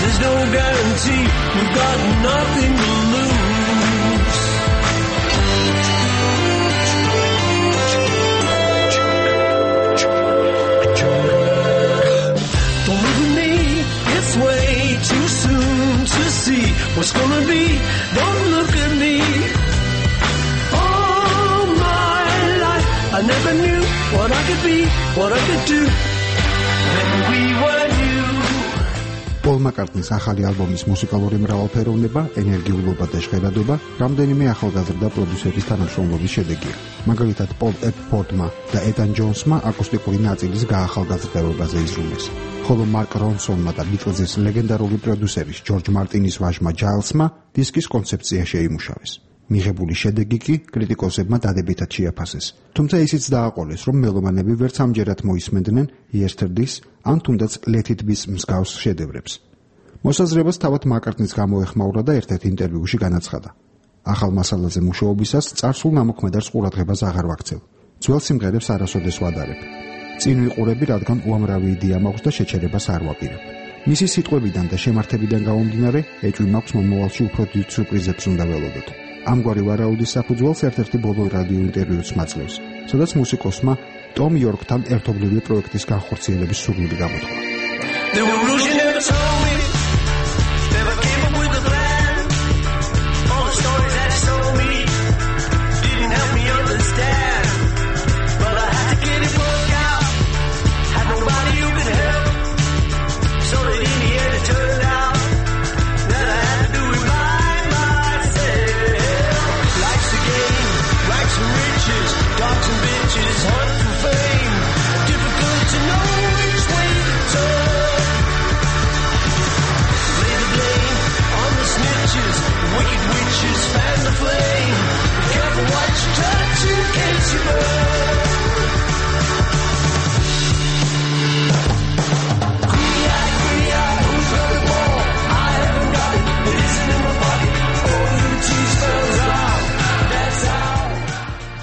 There's no guarantee, we've got nothing to lose. Don't look at me, it's way too soon to see what's gonna be. Don't look at me. All my life I never knew what I could be, what I could do when we were new.
პოლ მაკარტნის ახალი ალბომის მუსიკალური მრავალფეროვნება, ენერგიულობა და ჟღერადობა რამდენიმე ახალგაზრდა პროდიუსერის თანამშრომლობის შედეგია. მაგალითად, პოლ ეპფორდმა და ეტან ჯონსმა აკუსტიკური ნაწილის გაახალგაზრდებაზე იზრუნეს, ხოლო მარკ რონსონმა და ბიტლზის ლეგენდარული პროდიუსერის ჯორჯ მარტინის ვაჟმა ჯაილსმა დისკის კონცეფცია შეიმუშავეს. მიღებული შედეგი კი კრიტიკოსებმა დადებითად შეაფასეს. თუმცა ისიც დააყოლეს, რომ მელომანები ვერც ამჯერად მოისმენდნენ Yesterdays ან თუნდაც Let It Be-ს მსგავს შედევრებს. მოსაზრებას თავად მაკარტნის გამოეხმაურა და ერთ-ერთ ინტერვიუში განაცხადა: ახალ მასალაზე მუშაობისას წარსულ ნამოქმედარს ყურადღებას აღარ ვაქცევ. ძველ სიმღერებს არასოდეს ვადარებ. წინ ვიყურები, რადგან უამრავი იდეა მაქვს და შეჩერებას არ ვაპირებ. მისი სიტყვებიდან და შემართებიდან გამომდინარე, ეჭვი მაქვს მომავალში უფრო დიდ სურპრიზებს უნდა ველოდოთ. ამგვარი ვარაუდის საფუძველს ერთ-ერთი ბოლო რადიო ინტერვიუც მაძლევს, სადაც მუსიკოსმა ტომ იორკთან ერთობლივი პროექტის განხორციელების სურვილი გამოთქვა.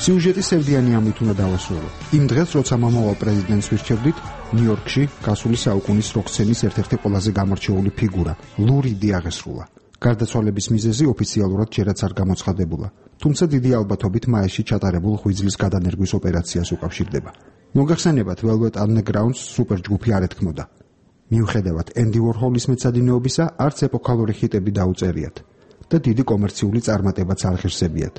სიუჟეტი სევდიანი ამით უნდა დავასრულო. იმ დღეს, როცა მომავალ პრეზიდენტს ვირჩევდით, ნიუ-იორკში გასული საუკუნის როკ-სცენის ერთ-ერთი ყველაზე გამორჩეული ფიგურა, ლუ რიდი აღესრულა. გარდაცვალების მიზეზი ოფიციალურად ჯერაც არ გამოცხადებულა, თუმცა დიდი ალბათობით მაისში ჩატარებულ ღვიძლის გადანერგვის ოპერაციას უკავშირდება. მოგახსენებათ, Velvet Underground-ს სუპერჯგუფი არ ეთქმოდა. მიუხედავად ენდი ვორჰოლის მეცადინეობისა, არც ეპოქალური ჰიტები დაუწერიათ და დიდი კომერციული წარმატებაც არ ღირსებიათ.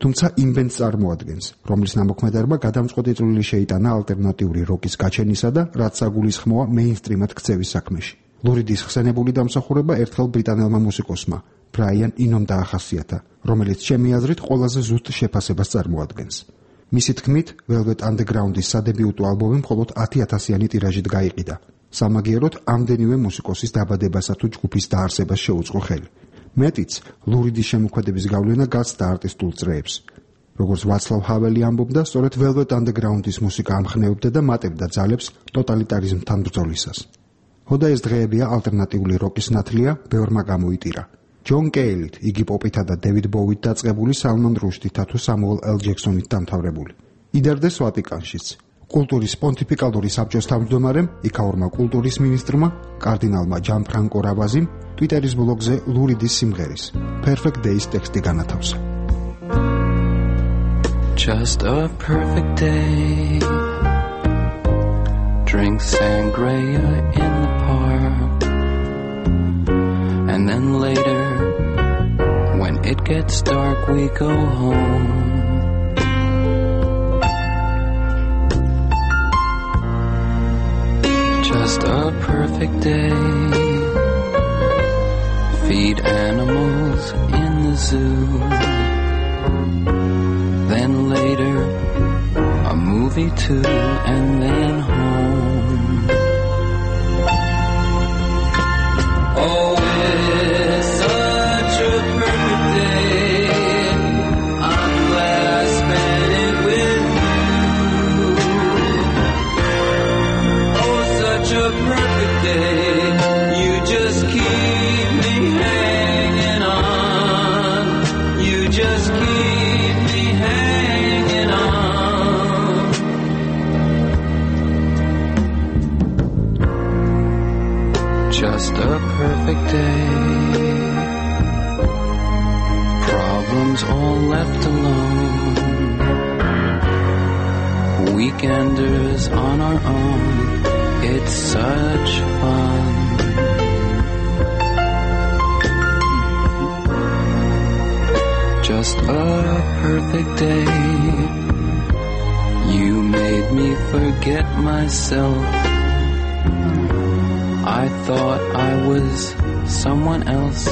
თუმცა იმ ბენდს წარმოადგენს, რომლის ნამოქმედარმა გადამწყვეტი წვლილი შეიტანა ალტერნატიული როკის გაჩენისა და რაც საგულისხმოა მეინსტრიმად ქცევის საქმეში. ლუ რიდის ხსენებული დამსახურება ერთხელ ბრიტანელმა მუსიკოსმა ბრაიან ინომ დაახასიათა, რომელიც ჩემი აზრით ყველაზე ზუსტ შეფასებას წარმოადგენს. მისი თქმით, Velvet Underground-ის სადებიუტო ალბომი მხოლოდ ათი ათასიანი ტირაჟით გაიყიდა. სამაგიეროდ ამდენივე მუსიკოსის დაბადებასა თუ ჯგუფის დაარსებას შეუწყო ხელი. მეტიც, ლუ რიდის შემოქმედების გავლენა გაცდა არტისტულ წრეებს. როგორც ვაცლავ ჰაველი ამბობდა, სწორედ Velvet Underground-ის მუსიკა ამხნევებდა და მატებდა ძალებს ტოტალიტარიზმთან ბრძოლისას. ხოდა ეს დღეებია ალტერნატიული როკის ნათლია, ბევრმა გამოიტირა. ჯონ კეილით, იგი პოპითა და დევიდ ბოუით დაწყებული, სალმან რუშდითა თუ სამუელ ელ ჯექსონით დამთავრებული. იდარდეს ვატიკანშიც. კულტურის პონტიფიკალური საბჭოს თავმჯდომარემ, იქაურმა კულტურის მინისტრმა, კარდინალმა ჯანფრანკო რაბაზიმ ტვიტერის ბლოგზე ლურიდის სიმღერის Perfect Days ტექსტი განათავსა.
Just a perfect day. Drink sangria in the park. And then later, when it gets dark, we go home. Just a perfect day. Feed animals in the zoo. Then later, a movie too, and then home. Oh, it's such a perfect day. I'm glad I spent it with you. Oh, such a perfect day. You just keep me hanging on. You just keep me hanging on. Just a perfect day. Problems all left alone. Weekenders on our own. It's such fun. Just a perfect day. You made me forget myself. I thought I was someone else,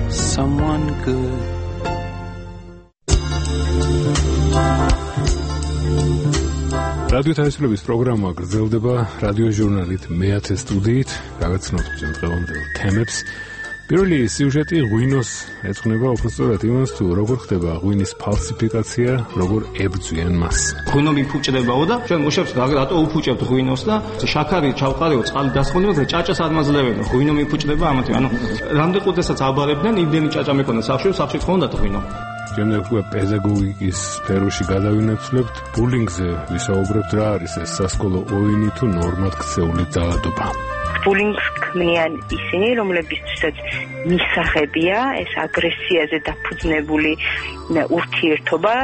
someone good.
რადიო თავისუფლების პროგრამა გრძელდება რადიო ჟურნალით მეათე სტუდიით, გაგაცნობთ დღევანდელ თემებს. პირველი სიუჟეტი ღვინოს ეძღვნება უბრალოდ იმას, თუ როგორ ხდება ღვინის ფალსიფიკაცია, როგორ ებრძვიან მას.
ღვინო მიფუჭდებაო და ჩვენ მუშებს რატო უფუჭებთ ღვინოს და შაქარი ჩავყარეო, წყალი დასხმოდება და ჭაჭას ადმაძლებენ. ღვინო მიფუჭდება ამათი, ანუ რამდენ ყუთასაც აბარებდნენ, იმდენი ჭაჭა მეკონა სახში, სახში ხონდათ ღვინო.
შემდეგ უკვე პედაგოგიკის სფეროში გადავინაცვლებთ, ბულინგზე ვისაუბრებთ, რა არის ეს სასკოლო ოვინი თუ ნორმად ქცეული ძალადობა.
ბულინგს ქმნიან ისინი, რომლებისთვისაც მისაღებია ეს აგრესიაზე დაფუძნებული ურთიერთობა.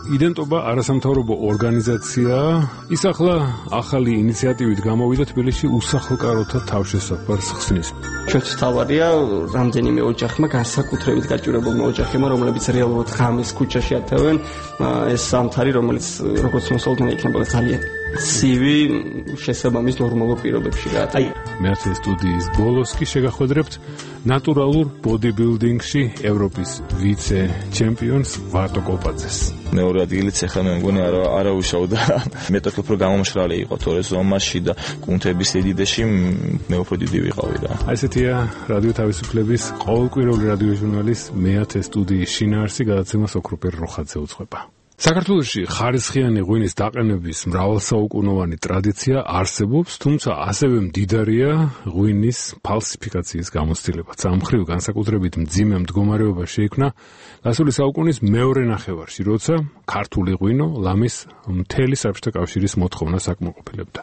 იდენტობა არასამთავრობო ორგანიზაციაა. ის ახლა ახალი ინიციატივით გამოვიდა თბილისში უსახლკაროთა თავშესაფარს ხსნის.
ჩვენც თავარია რამდენიმე ოჯახმა, განსაკუთრებით გაჭირებულმა ოჯახებმა, რომლებიც რეალურად ღამეს ქუჩაში ათევენ, ეს სამთარი, რომელიც როგორც მოსალოდნელი იქნება ძალიან ცივი შესაბამის ნორმალურ პირობებში გაატარა.
მეათე სტუდიის ბოლოს კი შეგახვედრებთ ნატურალურ ბოდიბილდინგში ევროპის ვიცე ჩემპიონს ვარტო კოპაძეს.
მეორე ადგილიც ახლა მე მგონი არა არაუშავდა. მე თვითონ უფრო გამომშრალი იყო თორე ზომაში და კუნთების ედიდეში მე უფრო დიდი ვიყავი რა.
აი ესეთია რადიო თავისუფლების ყოველკვირეული რადიო ჟურნალის მეათე სტუდიის შინაარსი, გადაცემას ოქროპერ როხაძე უძღვება. საქართველოში ხარისხიანი ღვინის დაყენების მრავალსაუკუნოვანი ტრადიცია არსებობს, თუმცა ასევე მდიდარია ღვინის ფალსიფიკაციის გამოცდილებაც. ამ მხრივ განსაკუთრებით მძიმე მდგომარეობა შეიქმნა გასული საუკუნის მეორე ნახევარში, როცა ქართული ღვინო ლამის მთელი საბჭოთა კავშირის მოთხოვნას აკმაყოფილებდა.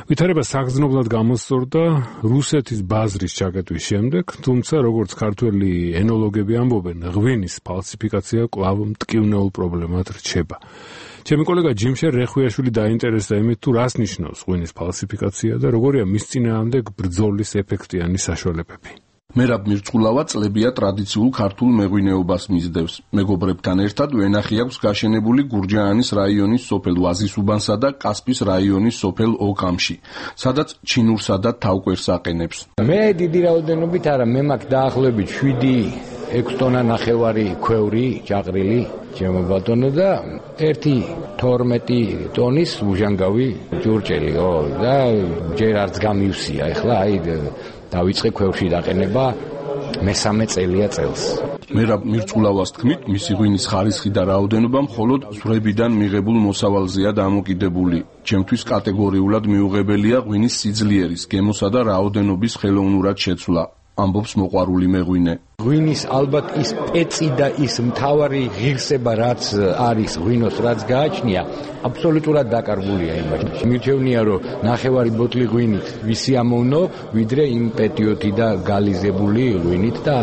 ვითარება საგრძნობლად გამოსწორდა რუსეთის ბაზრის ჩაკეტვის შემდეგ, თუმცა როგორც ქართველი ენოლოგები ამბობენ, ღვინის ფალსიფიკაცია კვლავ მტკივნეულ პრობლემად რჩება. ჩემი კოლეგა ჯიმშერ რეხვიაშვილი დაინტერესდა იმით, თუ რას ნიშნავს ღვინის ფალსიფიკაცია და როგორია მის წინააღმდეგ ბრძოლის ეფექტიანი საშუალებები.
მერაბ მირწყულავა წლებია ტრადიციულ ქართულ მეღვინეობას მისდევს. მეგობრებთან ერთად ვენახი აქვს გაშენებული გურჯაანის რაიონის სოფელ ვაზისუბანსა და კასპის რაიონის სოფელ ოკამში, სადაც ჩინურსა და თავკვერს აყენებს.
მე დიდი რაოდენობით არა, მე მაქვს დაახლოებით შვიდი ექვსი ტონა ნახევარი ქვევრი, ჭაყრილი, ჩემო ბატონო და ერთი თორმეტი ტონის უჟანგავი ჯურჭელი, ო და ჯერ არც გამივსია, ეხლა აი დავიწყე ქვევში დაყენება მესამე წელია წელს.
მერაბ მირწყულავას თქმით, მისი ღვინის ხარისხი და რაოდენობა მხოლოდ ზვრებიდან მიღებულ მოსავალზეა დამოკიდებული. ჩემთვის კატეგორიულად მიუღებელია ღვინის სიძლიერის, გემოსა და რაოდენობის ხელოვნურად შეცვლა. ამბობს მოყვარული მეღვინე.
ღვინის ალბათ ის პეცი და ის მთავარი ღირსება რაც არის ღვინოს რაც გააჩნია აბსოლუტურად დაკარგულია იმაში. მირჩევნია რომ ნახევარი ბოთლი ღვინით ვისი ამოვნო ვიდრე იმ პეტიოთი და გალიზებული ღვინით და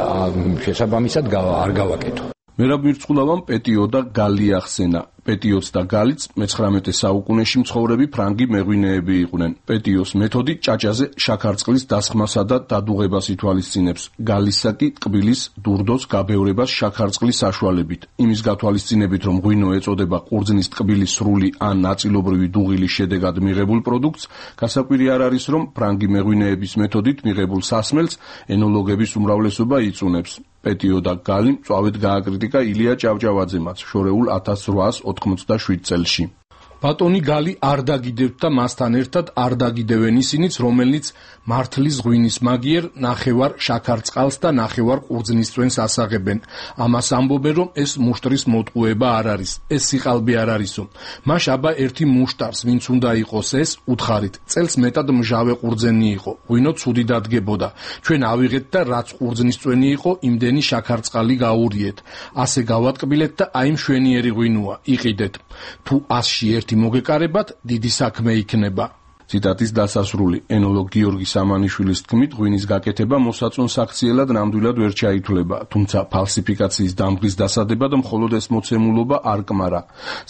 შესაბამისად არ გავაკეთო.
მერაბ მირწყულავამ პეტიო და გალი ახსენა. პეტიოც და galიც მეცხრამეტე საუკუნეში მცხოვრები ფრანგი მეღვინეები იყვნენ. პეტიოს მეთოდი ჭაჭაზე შაქარწყლის დასხმასა და დადუღებას ითვალისწინებს. გალისა კი ტკბილის დურდოს გაბევრებას შაქარწყლის საშუალებით. იმის გათვალისწინებით, რომ ღვინო ეწოდება ყურძნის ტკბილის სრული ან ნაწილობრივი დუღილის შედეგად მიღებულ პროდუქტს, გასაკვირი არ არის, რომ ფრანგი მეღვინეების მეთოდით მიღებულ სასმელს ენოლოგების უმრავლესობა იწუნებს. პეტიო და გალი მწვავედ გააკრიტიკა ილია ჭავჭავაძემაც შორეულ ათას რვაას ოთხმოცდაშვიდ წელში. ბატონი გალი არ დაგიდევთ და მასთან ერთად არ დაგიდევენ ისინიც, რომელნიც მართლის ღვინის მაგიერ ნახევარ შაქარწყალს და ნახევარ ყურძნისწვენს ასაღებენ. ამას ამბობენ, რომ ეს მუშტრის მოტყუება არ არის, ეს სიყალბე არ არისო. მაშ აბა ერთი მუშტარს, ვინც უნდა იყოს ეს, უთხარით. წელს მეტად მჟავე ყურძენი იყო. ღვინო ცუდი დადგებოდა. ჩვენ ავიღეთ და რაც ყურძნისწვენი იყო, იმდენი შაქარწყალი გაურიეთ. ასე გავატკბილეთ და აი მშვენიერი ღვინოა, იყიდეთ. თუ ასში ერთი მოგეკარებათ, დიდი საქმე იქნება. ციტატის დასასრული. ენოლოგ გიორგი სამანიშვილის თქმით, ღვინის გაკეთება მოსაწონს აქციელად ნამდვილად ვერ ჩაითვლება, თუმცა ფალსიფიკაციის დამღის დასადებად მხოლოდ ეს მოცემულობა არ კმარა.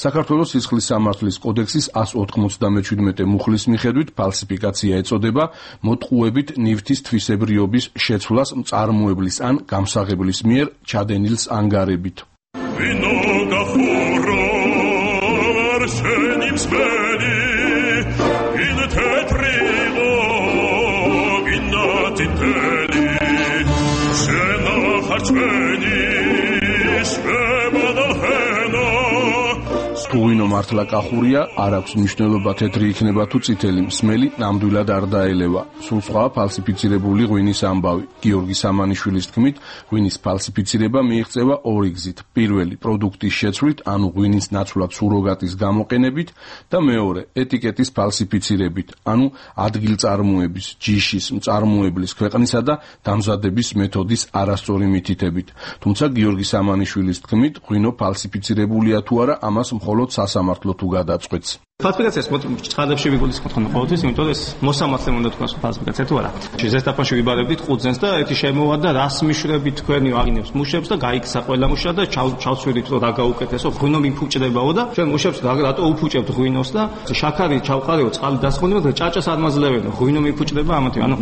საქართველოს სისხლის სამართლის კოდექსის ასი ოთხმოცდამეჩვიდმეტე მუხლის მიხედვით ფალსიფიკაცია ეწოდება მოტყუებით ნივთის თვისებრიობის შეცვლას მწარმოებლის ან გამსაღებლის მიერ ჩადენილს ანგარებით. ღვინო მართლა კახურია, არ აქვს მნიშვნელობა თეთრი იქნება თუ წითელი, მსმელი ნამდვილად არ დაელევა. სულ სხვა ფალსიფიცირებული ღვინის ამბავი. გიორგი სამანიშვილის თქმით, ღვინის ფალსიფიცირება მიიღწევა ორი გზით. პირველი პროდუქტის შეცვლით, ანუ ღვინის ნაცვლად სუროგატის გამოყენებით და მეორე ეტიკეტის ფალსიფიცირებით, ანუ ადგილწარმოების, ჯიშის, მწარმოებლის, ქვეყნისა და დამზადების მეთოდის არასწორი მითითებით. თუმცა გიორგი სამანიშვილის თქმით, ღვინო ფალსიფიცირებულია თუ არა, ამას მხოლოდ სასამართლო თუ გადაწყვეტს.
ფალსიფიკაციას ცხადებში ვიგულისხმობთ ხოლმე ყოველთვის, იმიტომ რომ ეს მოსამართლე უნდა თქვას ფალსიფიკაცია თუ არა. ზესტაფონში ვიბარებდით ყურძენს და ერთი შემოვა და რას მიშვრებით თქვენი აღინებს მუშებს და გაიქცა ყველა მუშა და ჩავცვირით რომ რა გაუკეთესო, ღვინო მიფუჭდებაო და ჩვენ მუშებს რატო უფუჭებთ ღვინოს და შაქარი ჩავყარეო, წყალი დასხმოდება და ჭაჭას არ მაძლევენ, ღვინო მიფუჭდება ამათი. ანუ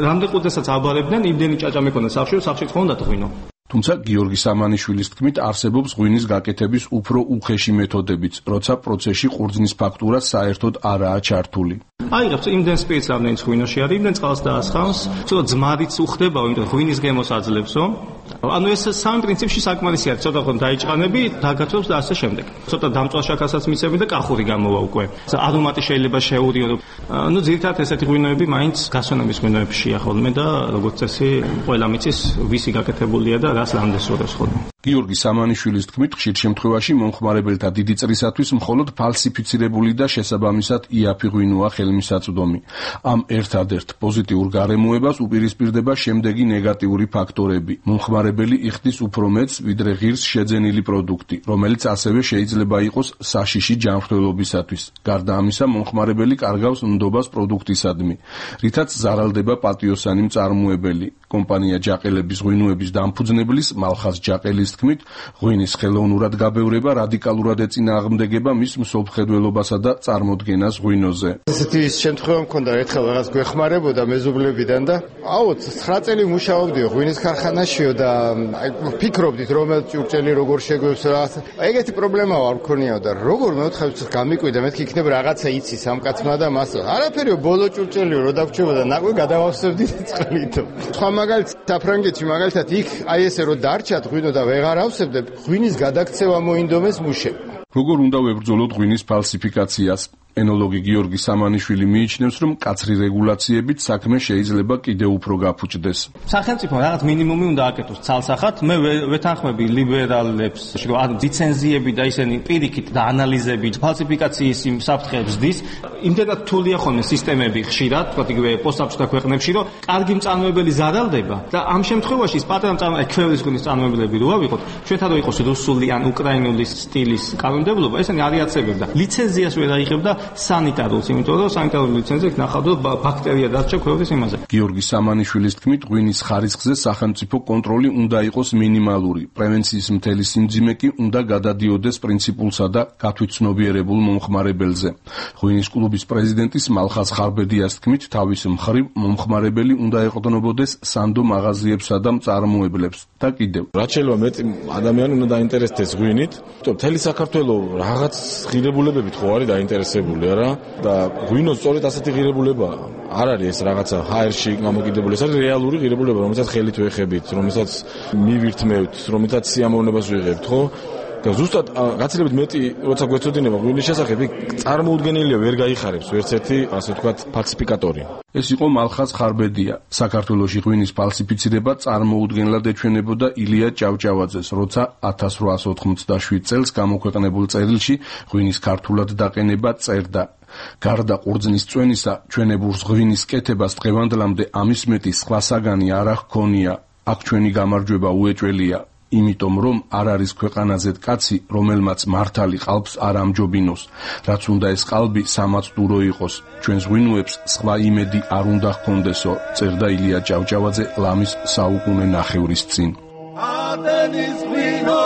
რამდენ ყურძენსაც აბარებდნენ, იმდენი ჭაჭა მეკონა სახლში, სახლში ხონდათ ღვინო.
თუმცა გიორგი სამანიშვილის თქმით არსებობს ღვინის გაკეთების უფრო უხეში მეთოდებიც, როცა პროცესში ყურძნის ფაქტურა საერთოდ არაა ჩართული.
აიღებს იმდენ სპეცს რამდენიც ღვინოში არის, იმდენ წყალს დაასხამს, ცოტა ძმარიც უხდებაო, იმიტომ ღვინის გემოს აძლებსო. ანუ ეს სამი პრინციპში საკმარისი არის, ცოტა ხომ დაიჭყანები, დაგაცვებს და ასე შემდეგ. ცოტა დამწვალ შაქარსაც მიცემი და კახური გამოვა უკვე. არომატი შეიძლება შეურიო. ну ძირითადად ესეთი ღვინოები მაინც გასვენების ღვინოებშია ხოლმე და როგორც წესი ყველა მიცის ვისი გაკეთებულია და რას რამდენს ურევს ხოლმე.
გიორგი სამანიშვილის თქმით, ხშირ შემთხვევაში მომხმარებელთა დიდი წრისათვის მხოლოდ ფალსიფიცირებული და შესაბამისად იაფი ღვინოა ხელმისაწვდომი. ამ ერთადერთ პოზიტიურ გარემოებას უპირისპირდება შემდეგი ნეგატიური ფაქტორები. მომხმარებელი იხდის უფრო მეტს, ვიდრე ღირს შეძენილი პროდუქტი, რომელიც ასევე შეიძლება იყოს საშიში ჯანმრთელობისათვის. გარდა ამისა, მომხმარებელი კარგავს ნდობას პროდუქტისადმი, რითაც ზარალდება პატიოსანი მწარმოებელი. კომპანია ჯაყელების ღვინოების დამფუძნებლის მალხაზ ჯაყელის თქმით, ღვინის ხელოვნურად გაბევრება რადიკალურად ეწინააღმდეგება მის მსოფლმხედველობასა და წარმოდგენას ღვინოზე.
ესეთი შემთხვევა მქონდა, ერთხელ რაღაც გვეხმარებოდა მეზობლებიდან და აუ ცხრა წელი მუშაობდიო ღვინის ქარხანაშიო და ფიქრობდით რომელ ჭურჭელი როგორ შეგვევს რაღაც. ეგეთი პრობლემა არ მქონიაო და როგორ მეოთხეებს გამიკვირდა, მეთქი იქნება რაღაცა იცის ამ კაცმა და მას. არაფერიო ბოლო ჭურჭელიო რო დაგვრჩებოდა, ნაკვე გადავავსებდით წყლით. სხვა მაგალითად საფრანგეთში მაგალითად იქ აი ესე რო დარჩათ ღვინო და ვეღარ ავსებდებ, ღვინის გადაქცევა მოინდომეს მუშებმა.
როგორ უნდა ვებრძოლოთ ღვინის ფალსიფიკაციას? ენოლოგი გიორგი სამანიშვილი მიიჩნევს, რომ კაცრი რეგულაციებით საქმე შეიძლება კიდევ უფრო გაფუჭდეს.
სახელმწიფო რაღაც მინიმუმი უნდა აკეთოს ცალსახად. მე ვეთანხმები ლიბერალებს, რომ ლიცენზიები და ისინი პირიქით და ანალიზები, ფალსიფიკაციის იმ საფრთხეებს დის. იმდენად რთულია ხოლმე სისტემები ხშირად, თქვა იგივე პოსტსაბჭოთა ქვეყნებში, რომ კარგი მწარმოებელი ზარალდება და ამ შემთხვევაში ის პატარა მწარმოებელი, ქვევრების გულის მწარმოებლები რო ავიღოთ, ჩვენთან რო იყოს რუსული ან უკრაინული სტილის კანონმდებლობა, ესენი არ იაცებებდა. ლიცენზიას ვერ აიღებდა სანიტარულს, იმიტომ რომ სანიტარული ლიცენზია ნახავდა ბაქტერია დარჩა ქვევრების იმაზე.
გიორგი სამანიშვილის თქმით, ღვინის ხარისხზე სახელმწიფო კონტროლი უნდა იყოს მინიმალური. პრევენციის მთელი სიმძიმე კი უნდა გადადიოდეს პრინციპულსა და გათვითცნობიერებულ მომხმარებელზე. ღვინის კლუბის პრეზიდენტის მალხაზ ხარბედიას თქმით, თავის მხრივ მომხმარებელი უნდა ეყრდნობოდეს სანდო მაღაზიებსა და მწარმოებლებს და კიდევ.
რაც შეიძლება მეტი ადამიანი უნდა დაინტერესდეს ღვინით, თუმცა მთელი საქართველო რაღაც ღირებულებებით ხო არის დაინტერესებული არა და ღვინოს სწორედ ასეთი ღირებულება არ არის ეს რაღაცა ჰაერში გამოკიდებული, ეს არის რეალური ღირებულება, რომელსაც ხელით ვეხებით, რომელსაც მივირთმევთ, რომელსაც სიამოვნებას ვიღებთ, ხო? და ზუსტად გაცილებით მეტი როცა გვეცოდინება ღვინის შესახებ, წარმოუდგენელია ვერ გაიხარებს ვერც ერთი, ასე ვთქვათ, ფალსიფიკატორი.
ეს იყო მალხაზ ხარბედია. საქართველოში ღვინის ფალსიფიცირება წარმოუდგენლად ეჩვენებოდა ილია ჭავჭავაძეს, როცა ათას რვაას ოთხმოცდაშვიდ წელს გამოქვეყნებულ წერილში ღვინის ქართულად დაყენება წერდა. გარდა ყურძნის წვენისა, ჩვენებურს ღვინის კეთებას დღევანდლამდე ამის მეტი სხვა საგანი არ ჰქონია. აქ ჩვენი გამარჯვება უეჭველია. იმიტომ რომ არ არის ქვეყანაზე კაცი, რომელმაც მართალი ყალბს არ ამჯობინოს, რაც უნდა ეს ყალბი სამაცდურო იყოს. ჩვენს ღვინოებს სხვა იმედი არ უნდა ჰქონდესო, წერდა ილია ჭავჭავაძე ლამის საუკუნე ნახევრის წინ.
ატენის ღვინო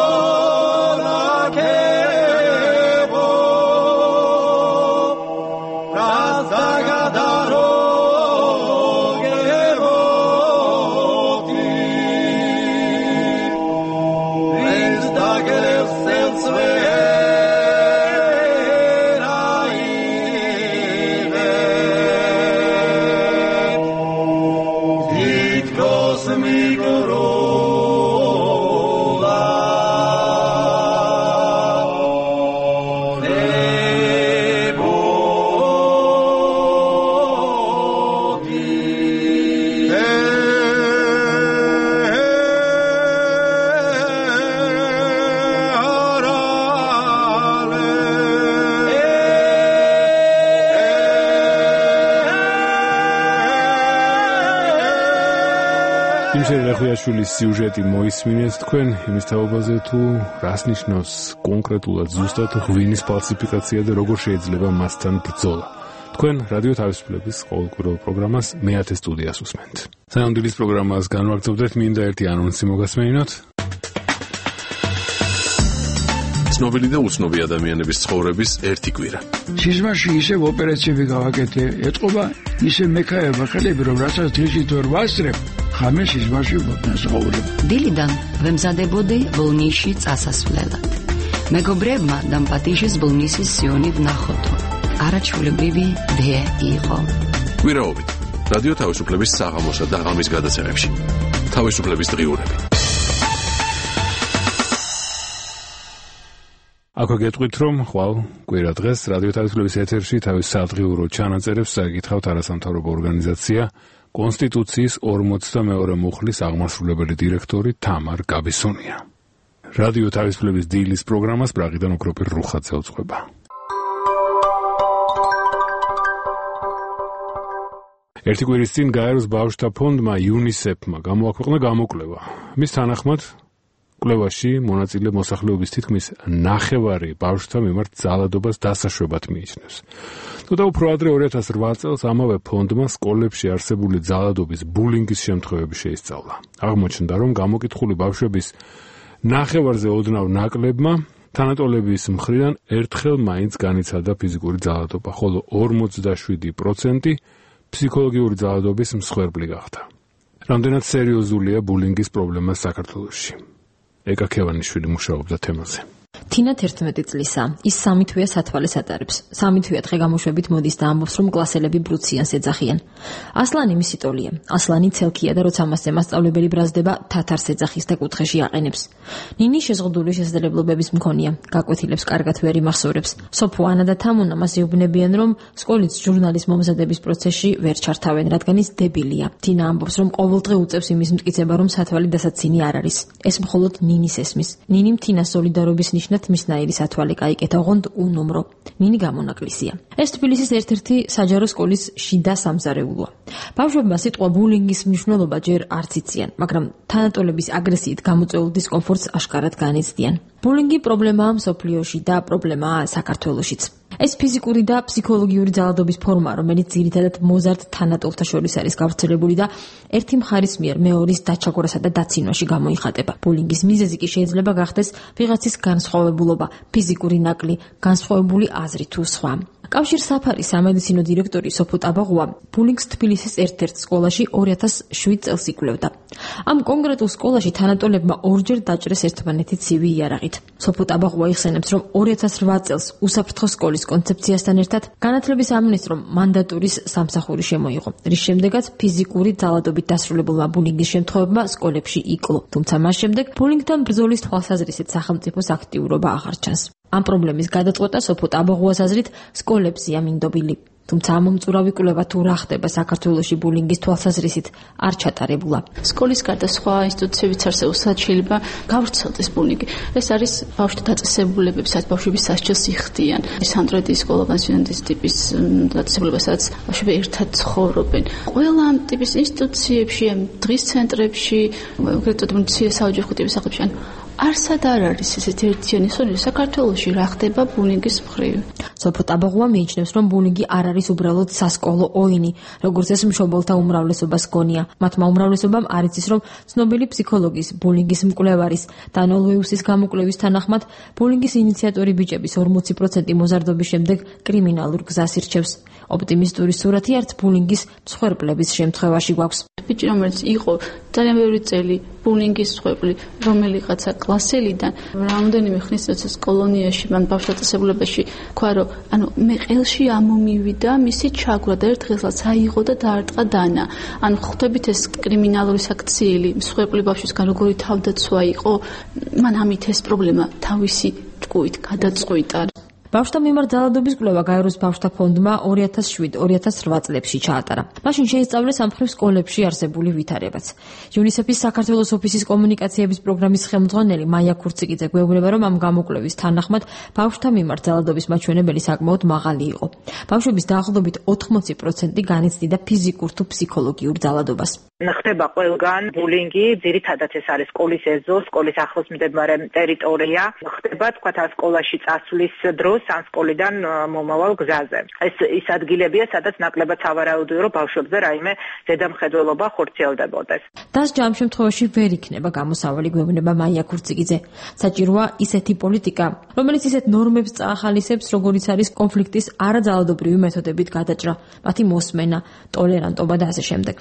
რახუიაშვილის სიუჟეტი მოისმინეთ თქვენ იმის თაობაზე თუ რას ნიშნავს კონკრეტულად ზუსტად ღვინის ფალსიფიკაცია და როგორ შეიძლება მასთან ბრძოლა. თქვენ რადიო თავისუფლების ყოველკვირეულ პროგრამას მეათე სტუდიას უსმენთ. სანამ პროგრამას განვაგრძობთ, მინდა ერთი ანონსი მოგასმენინოთ.
ცნობილი და უცნობი ადამიანების ცხოვრების ერთი კვირა.
სიზმარში ისევ ოპერაციები გავაკეთე, ეთყობა ისე მექაება ხელები, რომ რასაც დღისით ვერ ვასწრებ, ხამე სიზმარში ვაცხოვრებ.
დილიდან ვემზადებოდი ბოლნისში წასასვლელად. მეგობრებმა დამპატიჟეს ბოლნისის სიონი ვნახოთო. არაჩვეულებრივი დე იყო.
კვირაობით რადიო თავისუფლების საღამოსა და ღამის გადაცემებში. თავისუფლების დღიურები.
აქვე გეტყვით, რომ ხვალ კვირა დღეს რადიო თავისუფლების ეთერში თავის სადღიურო ჩანაწერებს წაიკითხავთ არასამთავრობო ორგანიზაცია კონსტიტუციის ორმოცდამეორე მუხლის აღმასრულებელი დირექტორი თამარ გაბისონია. რადიო თავისუფლების დილის პროგრამას ბრაღიდან ოქროპირ რუხაძე უძღვება. ერთი კვირის წინ გაეროს ბავშვთა ფონდმა იუნისეფმა გამოაქვეყნა გამოკვლევა. მის თანახმად კვლევაში მონაწილე მოსახლეობის თითქმის ნახევარი ბავშვთა მიმართ ძალადობას დასაშვებად მიიჩნევს. თუმცა უფრო ადრე ორი ათას რვა წელს ამავე ფონდმა სკოლებში არსებული ძალადობის ბულინგის შემთხვევები შეისწავლა. აღმოჩნდა, რომ გამოკითხული ბავშვების ნახევარზე ოდნავ ნაკლებმა თანატოლების მხრიდან ერთხელ მაინც განიცადა ფიზიკური ძალადობა, ხოლო ორმოცდაშვიდი პროცენტი ფსიქოლოგიური ძალადობის მსხვერპლი გახდა. რამდენად სერიოზულია ბულინგის პრობლემა საქართველოში? ეკა ქევანიშვილი მუშაობდა თემაზე.
თინა თერთმეტი წლისა, ის სამი თვეა სათვალეს ატარებს. სამი თვეა დღე გამოშვებით მოდის და ამბობს, რომ კლასელები ბრუციანს ეძახიან. ასლანი მისი ტოლია. ასლანი ცელქია და როცა მასზე მასწავლებელი ბრაზდება, თათარს ეძახის და კუთხეში აყენებს. ნინი შეზღუდული შესაძლებლობების მქონია, გაკვეთილებს კარგად ვერ იმახსოვრებს. სოფო ანა და თამუნა მას ეუბნებიან, რომ სკოლის ჟურნალის მომზადების პროცესში ვერ ჩართავენ, რადგან ის დებილია. თინა ამბობს, რომ ყოველდღე უწევს იმის მტკიცება, რომ სათვალი დასაცინი არ არის. ეს მხოლოდ ნინის ესმის. ნინიმ თინას სოლიდარობის ნიშნად მისნაირი სათვალე გაიკეთა, ოღონდ უნომრო. ნინი გამონაკლისია. ეს თბილისის ერთ-ერთი საჯარო სკოლის შიდა სამზარეულოა. ბავშვებმა სიტყვა ბულინგის მნიშვნელობა ჯერ არც იციან, მაგრამ თანატოლების აგრესიით გამოწვეულ დისკომფორტს აშკარად განიცდიან. ბულინგი პრობლემაა მსოფლიოში და პრობლემაა საქართველოშიც. ეს ფიზიკური და ფსიქოლოგიური ძალადობის ფორმაა, რომელიც ძირითადად მოზარდ თანატოლთა შორის არის გავრცელებული და ერთი მხარის მიერ მეორის დაჩაგვრასა და დაცინვაში გამოიხატება. ბულინგის მიზეზი კი შეიძლება გახდეს ვიღაცის განსხვავებულობა, ფიზიკური ნაკლი, განსხვავებული აზრი თუ სხვა. კავშირ საფარის სამედიცინო დირექტორი სოფო ტაბაღუა ბულინგს თბილისის ერთ-ერთ სკოლაში ორი ათას შვიდ წელს იკვლევდა. ამ კონკრეტულ სკოლაში თანატოლებმა ორჯერ დაჭრეს ერთმანეთი ცივი იარაღით. სოფო ტაბაღუა იხსენებს, რომ ორი ათას რვა წელს უსაფრთხო სკოლის კონცეფციასთან ერთად განათლების სამინისტრომ მანდატურის სამსახური შემოიღო, რის შემდეგაც ფიზიკური ძალადობით დასრულებულმა ბულინგის შემთხვევებმა სკოლებში იკლო. თუმცა მას შემდეგ ბულინგთან ბრძოლის თვალსაზრისით სახელმწიფოს აქტიურობა აღარ ჩანს. ამ პრობლემის გადაწყვეტა სოფო ტაბაღუას აზრით სკოლებზეა მინდობილი. თუმცა ამ მომწურავი კვლევა თუ რა ხდება საქართველოში ბულინგის თვალსაზრისით არ ჩატარებულა.
სკოლის გარდა სხვა ინსტიტუციებიც არსებობს, სადაც შეიძლება გავრცელდეს ბულინგი. ეს არის ბავშვთა დაწესებულებები, სადაც ბავშვები სასჯელს იხდიან. სანდროიდის სკოლა, პანსიონატის ტიპის დაწესებულება, სადაც ბავშვები ერთად ცხოვრობენ. ყველა ამ ტიპის ინსტიტუციებში, დღის ცენტრებში, ეგრეთ წოდებული საოჯახო ტიპის სახლებში არსად არ არის ესეთი ერთიანი სონი საქართველოში რა ხდება ბულინგის მხრივ.
სოფო ტაბაღუა მიიჩნევს, რომ ბულინგი არ არის უბრალოდ სასკოლო ოინი, როგორც ეს მშობელთა უმრავლესობას გონია. მათმა უმრავლესობამ არ იცის, რომ ცნობილი ფსიქოლოგის, ბულინგის მკვლევარის დან ოლვეუსის გამოკვლევის თანახმად, ბულინგის ინიციატორი ბიჭების ორმოცი პროცენტი მოზარდობის შემდეგ კრიმინალურ გზას ირჩევს. ოპტიმისტური სურათი არც ბულინგის მსხვერპლების შემთხვევაში გვაქვს.
ბიჭი, რომელიც იყო ძალიან ბევრი წელი ბულინგის მსხვერპლი, რომელიღაცა კლასელიდან რამდენიმე ხნის წელს კოლონიაში, მან ბავშვთა დაწესებულებაში თქვა, რომ ანუ მე ყელში ამომივიდა მისი ჩაგვრა და ერთ დღესაც აიღო და დაარტყა დანა. ანუ ხვდებით ეს კრიმინალური საქციელი მსხვერპლი ბავშვისგან როგორი თავდაცვა იყო, მან ამით ეს პრობლემა თავისი ჭკუით გადაწყვიტა.
ბავშვთა მიმართ ძალადობის კვლევა გაეროს ბავშვთა ფონდმა ორი ათას შვიდ ორი ათას რვა წლებში ჩაატარა. მაშინ შეისწავლეს ამ მხრივ სკოლებში არსებული ვითარებაც. იუნისეფის საქართველოს ოფისის კომუნიკაციების პროგრამის ხელმძღვანელი მაია ქურციკიძე გვეუბნება, რომ ამ გამოკვლევის თანახმად ბავშვთა მიმართ ძალადობის მაჩვენებელი საკმაოდ მაღალი იყო. ბავშვების დაახლოებით ოთხმოცი პროცენტი განიცდიდა ფიზიკურ თუ ფსიქოლოგიურ ძალადობას.
ხდება ყველგან ბულინგი, ძირითადად ეს არის სკოლის ეზო, სკოლის ახლოს მდებარე ტერიტორია. ხდება თქვა თან სკოლაში წასვლის დროს ან სკოლიდან მომავალ გზაზე. ეს ის ადგილებია, სადაც ნაკლებად სავარაუდოა, რომ ბავშვებზე რაიმე ზედამხედველობა ხორციელდებოდეს.
დასჯა ამ შემთხვევაში ვერ იქნება გამოსავალი, გვეუბნება მაია ქურციკიძე. საჭიროა ისეთი პოლიტიკა, რომელიც ისეთ ნორმებს წაახალისებს, როგორიც არის კონფლიქტის არაძალადობრივი მეთოდებით გადაჭრა, მათი მოსმენა, ტოლერანტობა და ასე შემდეგ.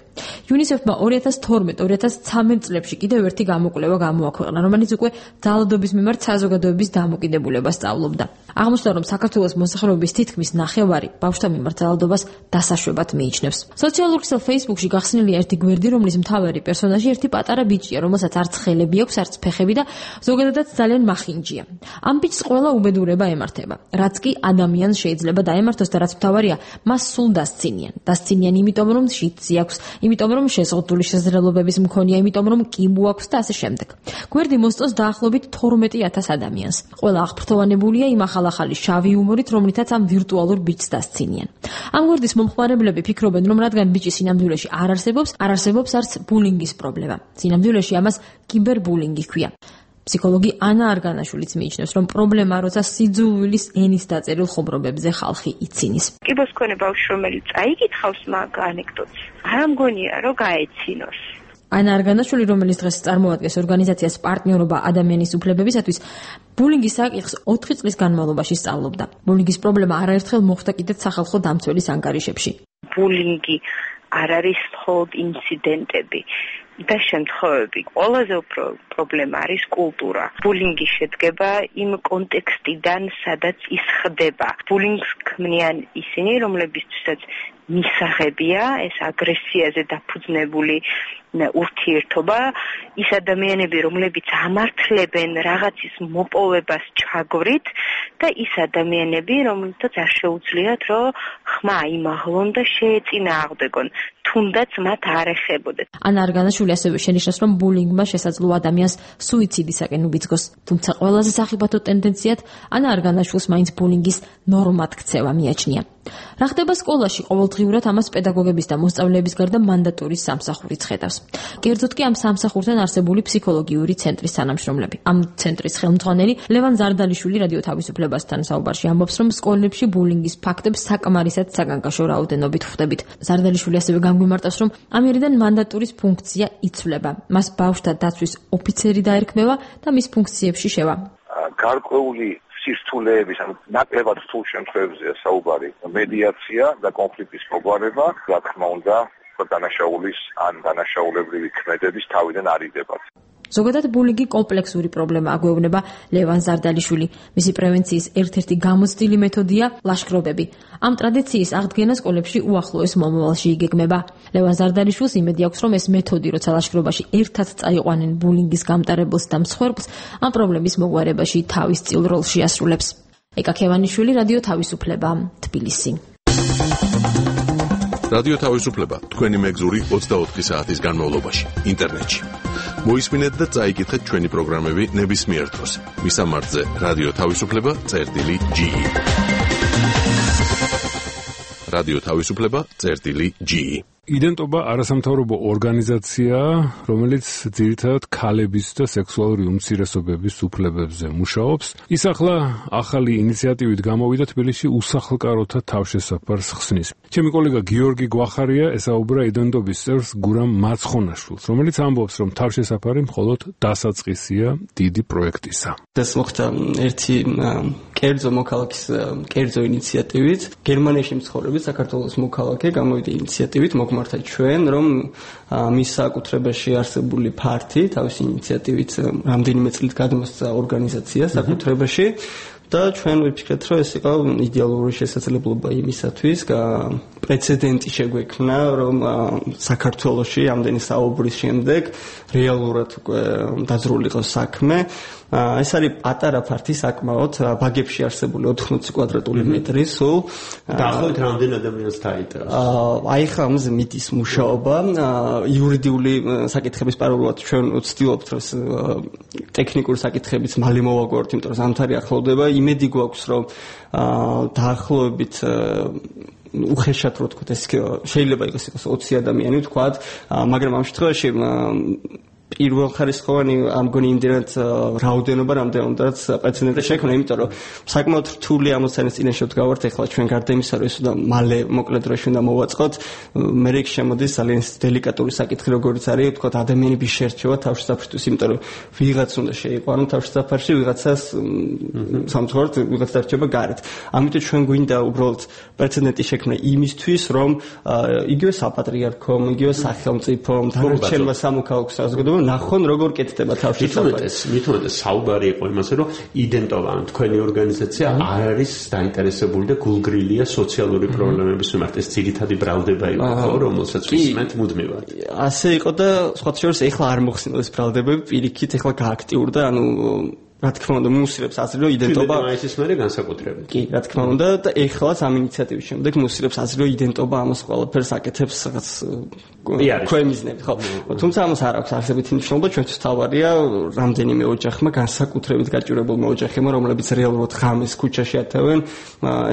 იუნისეფმა ორი ათას თორმეტ ორი ათას ცხრამეტ წლებში კიდევ ერთი გამოკვლევა გამოაქვეყნა, რომელიც უკვე ძალადობის მიმართ საზოგადოების დამოკიდებულებას სწავლობდა. აღმოჩნდა, რომ საქართველოს მოსახლეობის თითქმის ნახევარი ბავშვთა მიმართ ძალადობას დასაშვებად მიიჩნევს. სოციალურ ქსელ Facebook-ში გახსნილია ერთი გვერდი, რომლის მთავარი პერსონაჟი ერთი პატარა ბიჭია, რომელსაც არც ხელები აქვს, არც ფეხები და ზოგადადაც ძალიან მახინჯია. ამ ბიჭს ყველა უბედურება ემართება, რაც კი ადამიანს შეიძლება დაემართოს და რაც მთავარია, მას სულ დასცინიან. დასცინიან იმიტომ, რომ შიდსი აქვს, იმიტომ, რომ შეზღუდული შესაძლებლობების მქონია, იმიტომ, რომ კიბო აქვს და ასე შემდეგ. გვერდი მოსწონს დაახლოებით თორმეტი ათას ადამიანს. ყველა აღფრთოვანებულია იმ ახალ-ახალი შავი იუმორით, რომლითაც ამ ვირტუალურ ბიჭს დასცინიან. ამ გვერდის მომხმარებლები ფიქრობენ, რომ რადგან ბიჭი სინამდვილეში არ არსებობს, არ არსებობს არც ბულინგის პრობლემა. სინამდვილეში ამას კიბერბულინგი ჰქვია. ფსიქოლოგი ანა არგანაშვილიც მიიჩნევს, რომ პრობლემა, როცა სიძულვილის ენის დაწერილ ხუმრობებზე ხალხი იცინის.
კიბოს მქონე ბავშვი, რომელიც აიკითხავს მაგ ანეკდოტს, არ მგონია, რომ გაეცინოს.
ანა არგანაშვილი, რომელიც დღეს წარმოადგენს ორგანიზაციას პარტნიორობა ადამიანის უფლებებისათვის, ბულინგის საკითხს ოთხი წლის განმავლობაში სწავლობდა. ბულინგის პრობლემა არაერთხელ მოხდა კიდეც სახალხო დამცველის ანგარიშებში.
ბულინგი არ არის მხოლოდ ინციდენტები. და შემთხვევები. ყველაზე უფრო პრობლემა არის კულტურა. ბულინგი შედგება იმ კონტექსტიდან, სადაც ის ხდება. ბულინგს ქმნიან ისინი, რომლებისთვისაც მისაღებია ეს აგრესიაზე დაფუძნებული ურთიერთობა, ის ადამიანები, რომლებიც ამართლებენ რაღაცის მოპოვებას ჩაგვრით და ის ადამიანები, რომელთაც არ შეუძლიათ, რომ ხმა იმაღლონ და შეეწინააღმდეგონ, თუნდაც მათ არ ეხებოდეთ.
ანა არგანაშვილი ასევე შენიშნავს, რომ ბულინგმა შესაძლოა ადამიანს სუიციდისაკენ უბიძგოს. თუმცა ყველაზე სახიფათო ტენდენციად ანა არგანაშვილს მაინც ბულინგის ნორმად ქცევა მიაჩნია. რა ხდება სკოლაში? ყოველდღიურად ამას პედაგოგების და მოსწავლეების გარდა მანდატურის სამსახურიც ხედავს. კერძოდ კი ამ სამსახურთან არსებული ფსიქოლოგიური ცენტრის თანამშრომლები. ამ ცენტრის ხელმძღვანელი ლევან ზარდალიშვილი რადიო თავისუფლებასთან საუბარში ამბობს, რომ სკოლებში ბულინგის ფაქტებს საკმარისად საგანგაშო რაოდენობით ხვდებით. ზარდალიშვილი ასევე გამგვიმარტავს, რომ ამერიდან მანდატურის ფუნქცია იცვლება. მას ბავშვთა დაცვის ოფიცერი დაერქმევა და მის ფუნქციებში შევა.
გარკვეული სირთულეების, ანუ ნაკლებად რთულ შემთხვევებზეა საუბარი, მედიაცია და კონფლიქტის მოგვარება, რა თქმა უნდა, დანაშაულის ან დანაშაულებრივი ქმედების თავიდან არიდებათ.
ზოგადად ბულინგი კომპლექსური პრობლემაა, გვეუბნება ლევან ზარდალიშვილი. მისი პრევენციის ერთ-ერთი გამოცდილი მეთოდია ლაშქრობები. ამ ტრადიციის აღდგენა სკოლებში უახლოეს მომავალში იგეგმება. ლევან ზარდალიშვილს იმედი აქვს, რომ ეს მეთოდი, როცა ლაშქრობაში ერთად წაიყვანენ ბულინგის გამტარებელს და მსხვერპლს, ამ პრობლემის მოგვარებაში თავის წილ როლს შეასრულებს. ეკა ქევანიშვილი, რადიო თავისუფლება, თბილისი.
რადიო თავისუფლება თქვენი მეგზური ოცდაოთხი საათის განმავლობაში ინტერნეტში. მოისმინეთ და წაიკითხეთ ჩვენი პროგრამები ნებისმიერ დროს. მისამართზე რადიო თავისუფლება წერტილი ჯი. რადიო თავისუფლება წერტილი ჯი.
იდენტობა არასამთავრობო ორგანიზაციაა, რომელიც ძირითადად ქალების და სექსუალური უმცირესობების უფლებებზე მუშაობს. ის ახლა ახალი ინიციატივით გამოვიდა თბილისში უსახლკაროთა თავშესაფარს ხსნის. ჩემი კოლეგა გიორგი გვახარია ესაუბრა იდენტობის წევრს გურამ მაცხონაშვილს, რომელიც ამბობს, რომ თავშესაფარი მხოლოდ დასაწყისია დიდი პროექტისა.
ეს მოხდა ერთი კერძო მოქალაქის კერძო ინიციატივით. გერმანიაში მცხოვრები საქართველოს მოქალაქე გამოვიდა ინიციატივით მოგმართა ჩვენ, რომ მის საკუთრებაში არსებული ფართი თავისი ინიციატივით რამდენიმე წლით გადმოსცა ორგანიზაცია საკუთრებაში და ჩვენ ვიფიქრეთ, რომ ეს იყო იდეალური შესაძლებლობა იმისათვის, პრეცედენტი შეგვექმნა, რომ საქართველოში ამდენი საუბრის შემდეგ რეალურად დაძრული იყოს საქმე. ეს არის პატარა ფართი საკმაოდ, ბაგებში არსებული ოთხმოცი კვადრატული მეტრი სულ.
დაახლოებით რამდენ ადამიანს დაინტერესებს?
აი ხა ამაზე მიდის მუშაობა, იურიდიული საკითხების პარალელურად ჩვენ ვცდილობთ, რომ ტექნიკური საკითხებიც მალე მოვაგვაროთ, იმიტომ რომ ზამთარი ახლოვდება. იმედი გვაქვს, რომ დაახლოებით უხეშად რო თქვა ეს შეიძლება იყოს ოცი ადამიანი თქვა, მაგრამ ამ შემთხვევაში პირველ ხარისხოვანი ამგონი იმდენად რაოდენობა რამდენადაც პრეცედენტი შექმნა, იმიტომ რომ საკმაოდ რთული ამოცანის წინაშე ვდგავართ ახლა ჩვენ გარდა იმისა, რომ ეს უნდა მალე მოკლედ დროში უნდა მოვაწყოთ, მე რიგ შემოდის ძალიან დელიკატური საკითხი, როგორიც არის თქვა ადამიანების შერჩევა თავშესაფრისთვის, იმიტომ რომ ვიღაც უნდა შეიყვანო თავშესაფარში, ვიღაცას სამწუხაროდ ვიღაც დარჩება გარეთ. ამიტომ ჩვენ გვინდა უბრალოდ პრეცედენტი შექმნა იმისთვის, რომ იგივე საპატრიარქომ, იგივე სახელმწიფომ, დანარჩენმა სამოქალაქო საზოგადოებამ ნახონ როგორ კეთდება თავშესაფარი.
მithumetes საუბარი იყო იმაზე, რომ იდენტობა თქვენი ორგანიზაცია არ არის დაინტერესებული და გულგრილია სოციალური პრობლემების მიმართ. ეს ძირითადი ბრალდება იყო, რომელსაც ვისმენთ მუდმივად.
ასე იყო და სხვათა შორის ეხლა არ მოხსნილა ეს ბრალდებები, პირიქით ეხლა გააქტიურდა, ანუ რა თქმა უნდა, მუსილებს აზრი, რომ იდენტობა
ის მერე განსაკუთრებით.
კი, რა თქმა უნდა, და ეხლაც ამ ინიციატივის შემდეგ მუსილებს აზრი, რომ იდენტობა ამას ყველაფერს აკეთებს რაღაც ქვემიზნები, ხო? თუმცა ამას არ აქვს არსებითი მნიშვნელობა, ჩვენთვის თავარია რამდენიმე ოჯახმა, განსაკუთრებით გაჭირებულმა ოჯახებმა, რომლებიც რეალურად ღამეს ქუჩაში ატევენ,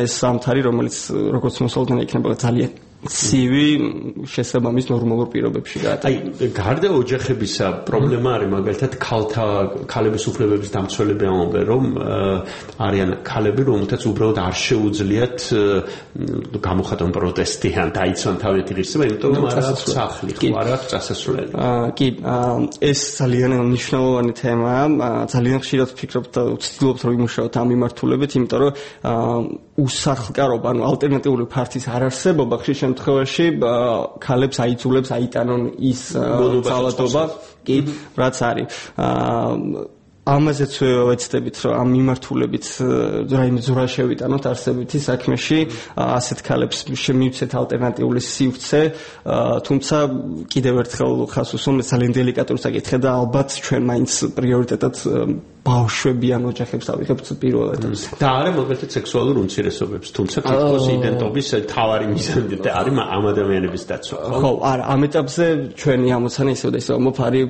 ეს სამთარი, რომელიც როგორც მოსალოდნელი იქნება ძალიან ცივი შესაბამის ნორმალურ პირობებში გაატარა.
აი, გარდა ოჯახებისა, პრობლემა არის მაგალითად ქალთა ქალების უფლებების დამცველები ამბობენ, რომ არიან ქალები, რომელთაც უბრალოდ არ შეუძლიათ გამოხატონ პროტესტი ან დაიცვან თავიანთი ღირსება, იმიტომ რომ არ აქვს სახლი, ხო არ აქვს წასასვლელი.
კი, ეს ძალიან მნიშვნელოვანი თემაა. ძალიან ხშირად ვფიქრობ და ვცდილობ რომ ვიმუშაოთ ამ მიმართულებით, იმიტომ რომ უსახლკარობა, ანუ ალტერნატიული ფართის არარსებობა ხშირად შემთხვევაში ქალებს აიძულებს აიტანონ ის ძალადობა, კი, რაც არის. ამაზეც ვეცდებით, რომ ამ მიმართულებით რაიმე ზურა შევიტანოთ არსებითი საქმეში, ასეთ ქალებს შემივცეთ ალტერნატიული სივრცე, თუმცა კიდევ ერთხელ ხას უსვამ ძალიან დელიკატური საკითხია და ალბათ ჩვენ მაინც პრიორიტეტად ბავშვებიან ოჯახებს ავიღებთ პირველ ეტაპზე.
და არა მოკლედ სექსუალურ უმცირესობებს, თუმცა თითქოს იდენტობის თავარი მიზანი არის ამ ადამიანების დაცვა.
ხო, არა, ამ ეტაპზე ჩვენი ამოცანა ისევ და ისევ მოფარი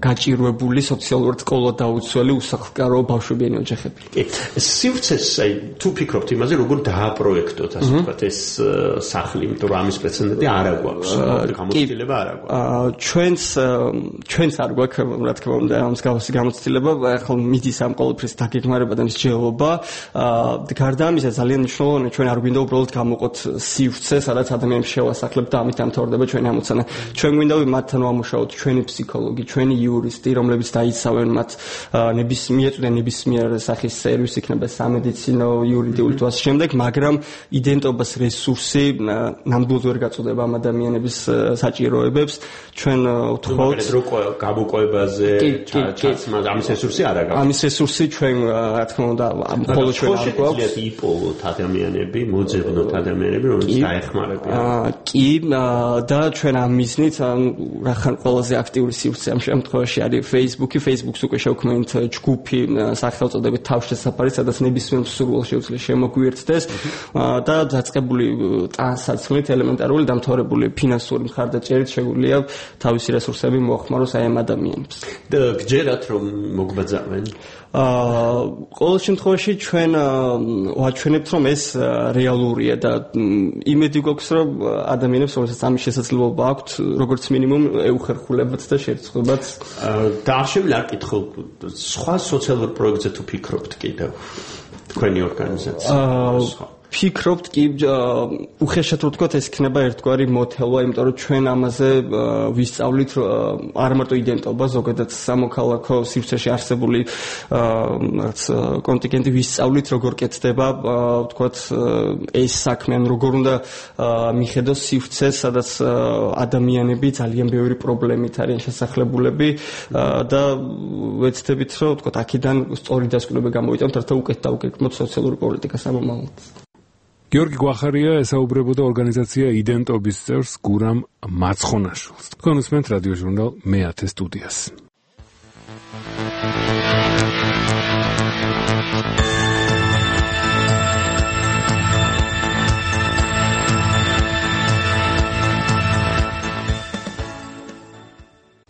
გაჭირვებული სოციალურად ყოლად დაუცველი უსახლკარო ბავშვებიანი ოჯახები.
კი, სივრცეს აი თუ ფიქრობთ იმაზე, როგორ დააპროექტოთ, ასე ვთქვათ, ეს სახლი, იმიტომ რომ ამის პრეცედენტი არ აქვს, გამოცდილება არ აქვს.
ჩვენს ჩვენს არ გვაქვს, რა თქმა უნდა, ამის გავასი გამოცდილება, ახლა მიდის ამ ყოველფრის დაგეგმარება და მსჯელობა. გარდა ამისა ძალიან მნიშვნელოვანია ჩვენ არ გვინდა უბრალოდ გამოვყოთ სივრცე, სადაც ადამიანებს შევასახლებთ და ამით ამთავრდება ჩვენი ამოცანა. ჩვენ გვინდა მათთან ვამუშაოთ ჩვენი ფსიქოლოგი, ჩვენი იურისტი, რომლებიც დაიცავენ მათ ნებისმიერ ნებისმიერ სახის სერვისი, იქნება სამედიცინო, იურიდიული თუ ასე შემდეგ, მაგრამ იდენტობას რესურსი ნამდვილად ვერ გაწოდება ამ ადამიანების საჭიროებებს. ჩვენ ვთხოვთ
გამოკოებაზე, ჩაცმა ამის რესურსი არ აქვს.
ამის რესურსი ჩვენ რა თქმა უნდა მხოლოდ ჩვენ არ გვაქვს.
იპოვოთ ადამიანები, მოძებნოთ ადამიანები, რომლებიც დაეხმარებიან.
კი, და ჩვენ ამ მიზნით რახან ყველაზე აქტიური სივრცე ამ შემთხვევაში არის Facebook-ი. Facebook-ს უკვე შევქმნით ჯგუფი სახელწოდებით თავშესაფარი, სადაც ნებისმიერ მსურველს შეუძლია შემოგვიერთდეს და დაწყებული ტანსაცმლით ელემენტარული დამთავრებული ფინანსური მხარდაჭერით შეგვიძლია თავისი რესურსები მოახმაროს აი ამ ადამიანებს.
და გჯერათ რომ მოგბაძავენ?
აა ყოველ შემთხვევაში ჩვენ ვაჩვენებთ რომ ეს რეალურია და იმედი გვაქვს რომ ადამიანებს რომელსაც ამის შესაძლებლობა აქვთ როგორც მინიმუმ ეუხერხულებათ და შეერწყებათ.
და არ შემიძლია არ კითხო სხვა სოციალურ პროექტზე თუ ფიქრობთ კიდევ თქვენი ორგანიზაცია?
აა ფიქრობთ კი უხეშად რო ვთქვათ ეს იქნება ერთგვარი მოთელვა, იმიტომ რომ ჩვენ ამაზე ვისწავლით არ მარტო იდენტობა, ზოგადად სამოქალაქო სივრცეში არსებული რაც კონტინგენტი ვისწავლით როგორ კეთდება, ვთქვათ ეს საქმე, ან როგორ უნდა მიხედოს სივრცეს, სადაც ადამიანები ძალიან ბევრი პრობლემით არიან შესახლებულები და ვეცდებით რომ ვთქვათ აქედან სწორი დასკვნები გამოვიტანოთ, რათა უკეთ დავგეგმოთ სოციალური პოლიტიკა სამომავლოდ.
გიორგი გვახარია ესაუბრებოდა ორგანიზაცია იდენტობის წევრს გურამ მაცხონაშვილს. თქვენ უსმენთ რადიო ჟურნალ მეათე სტუდიას.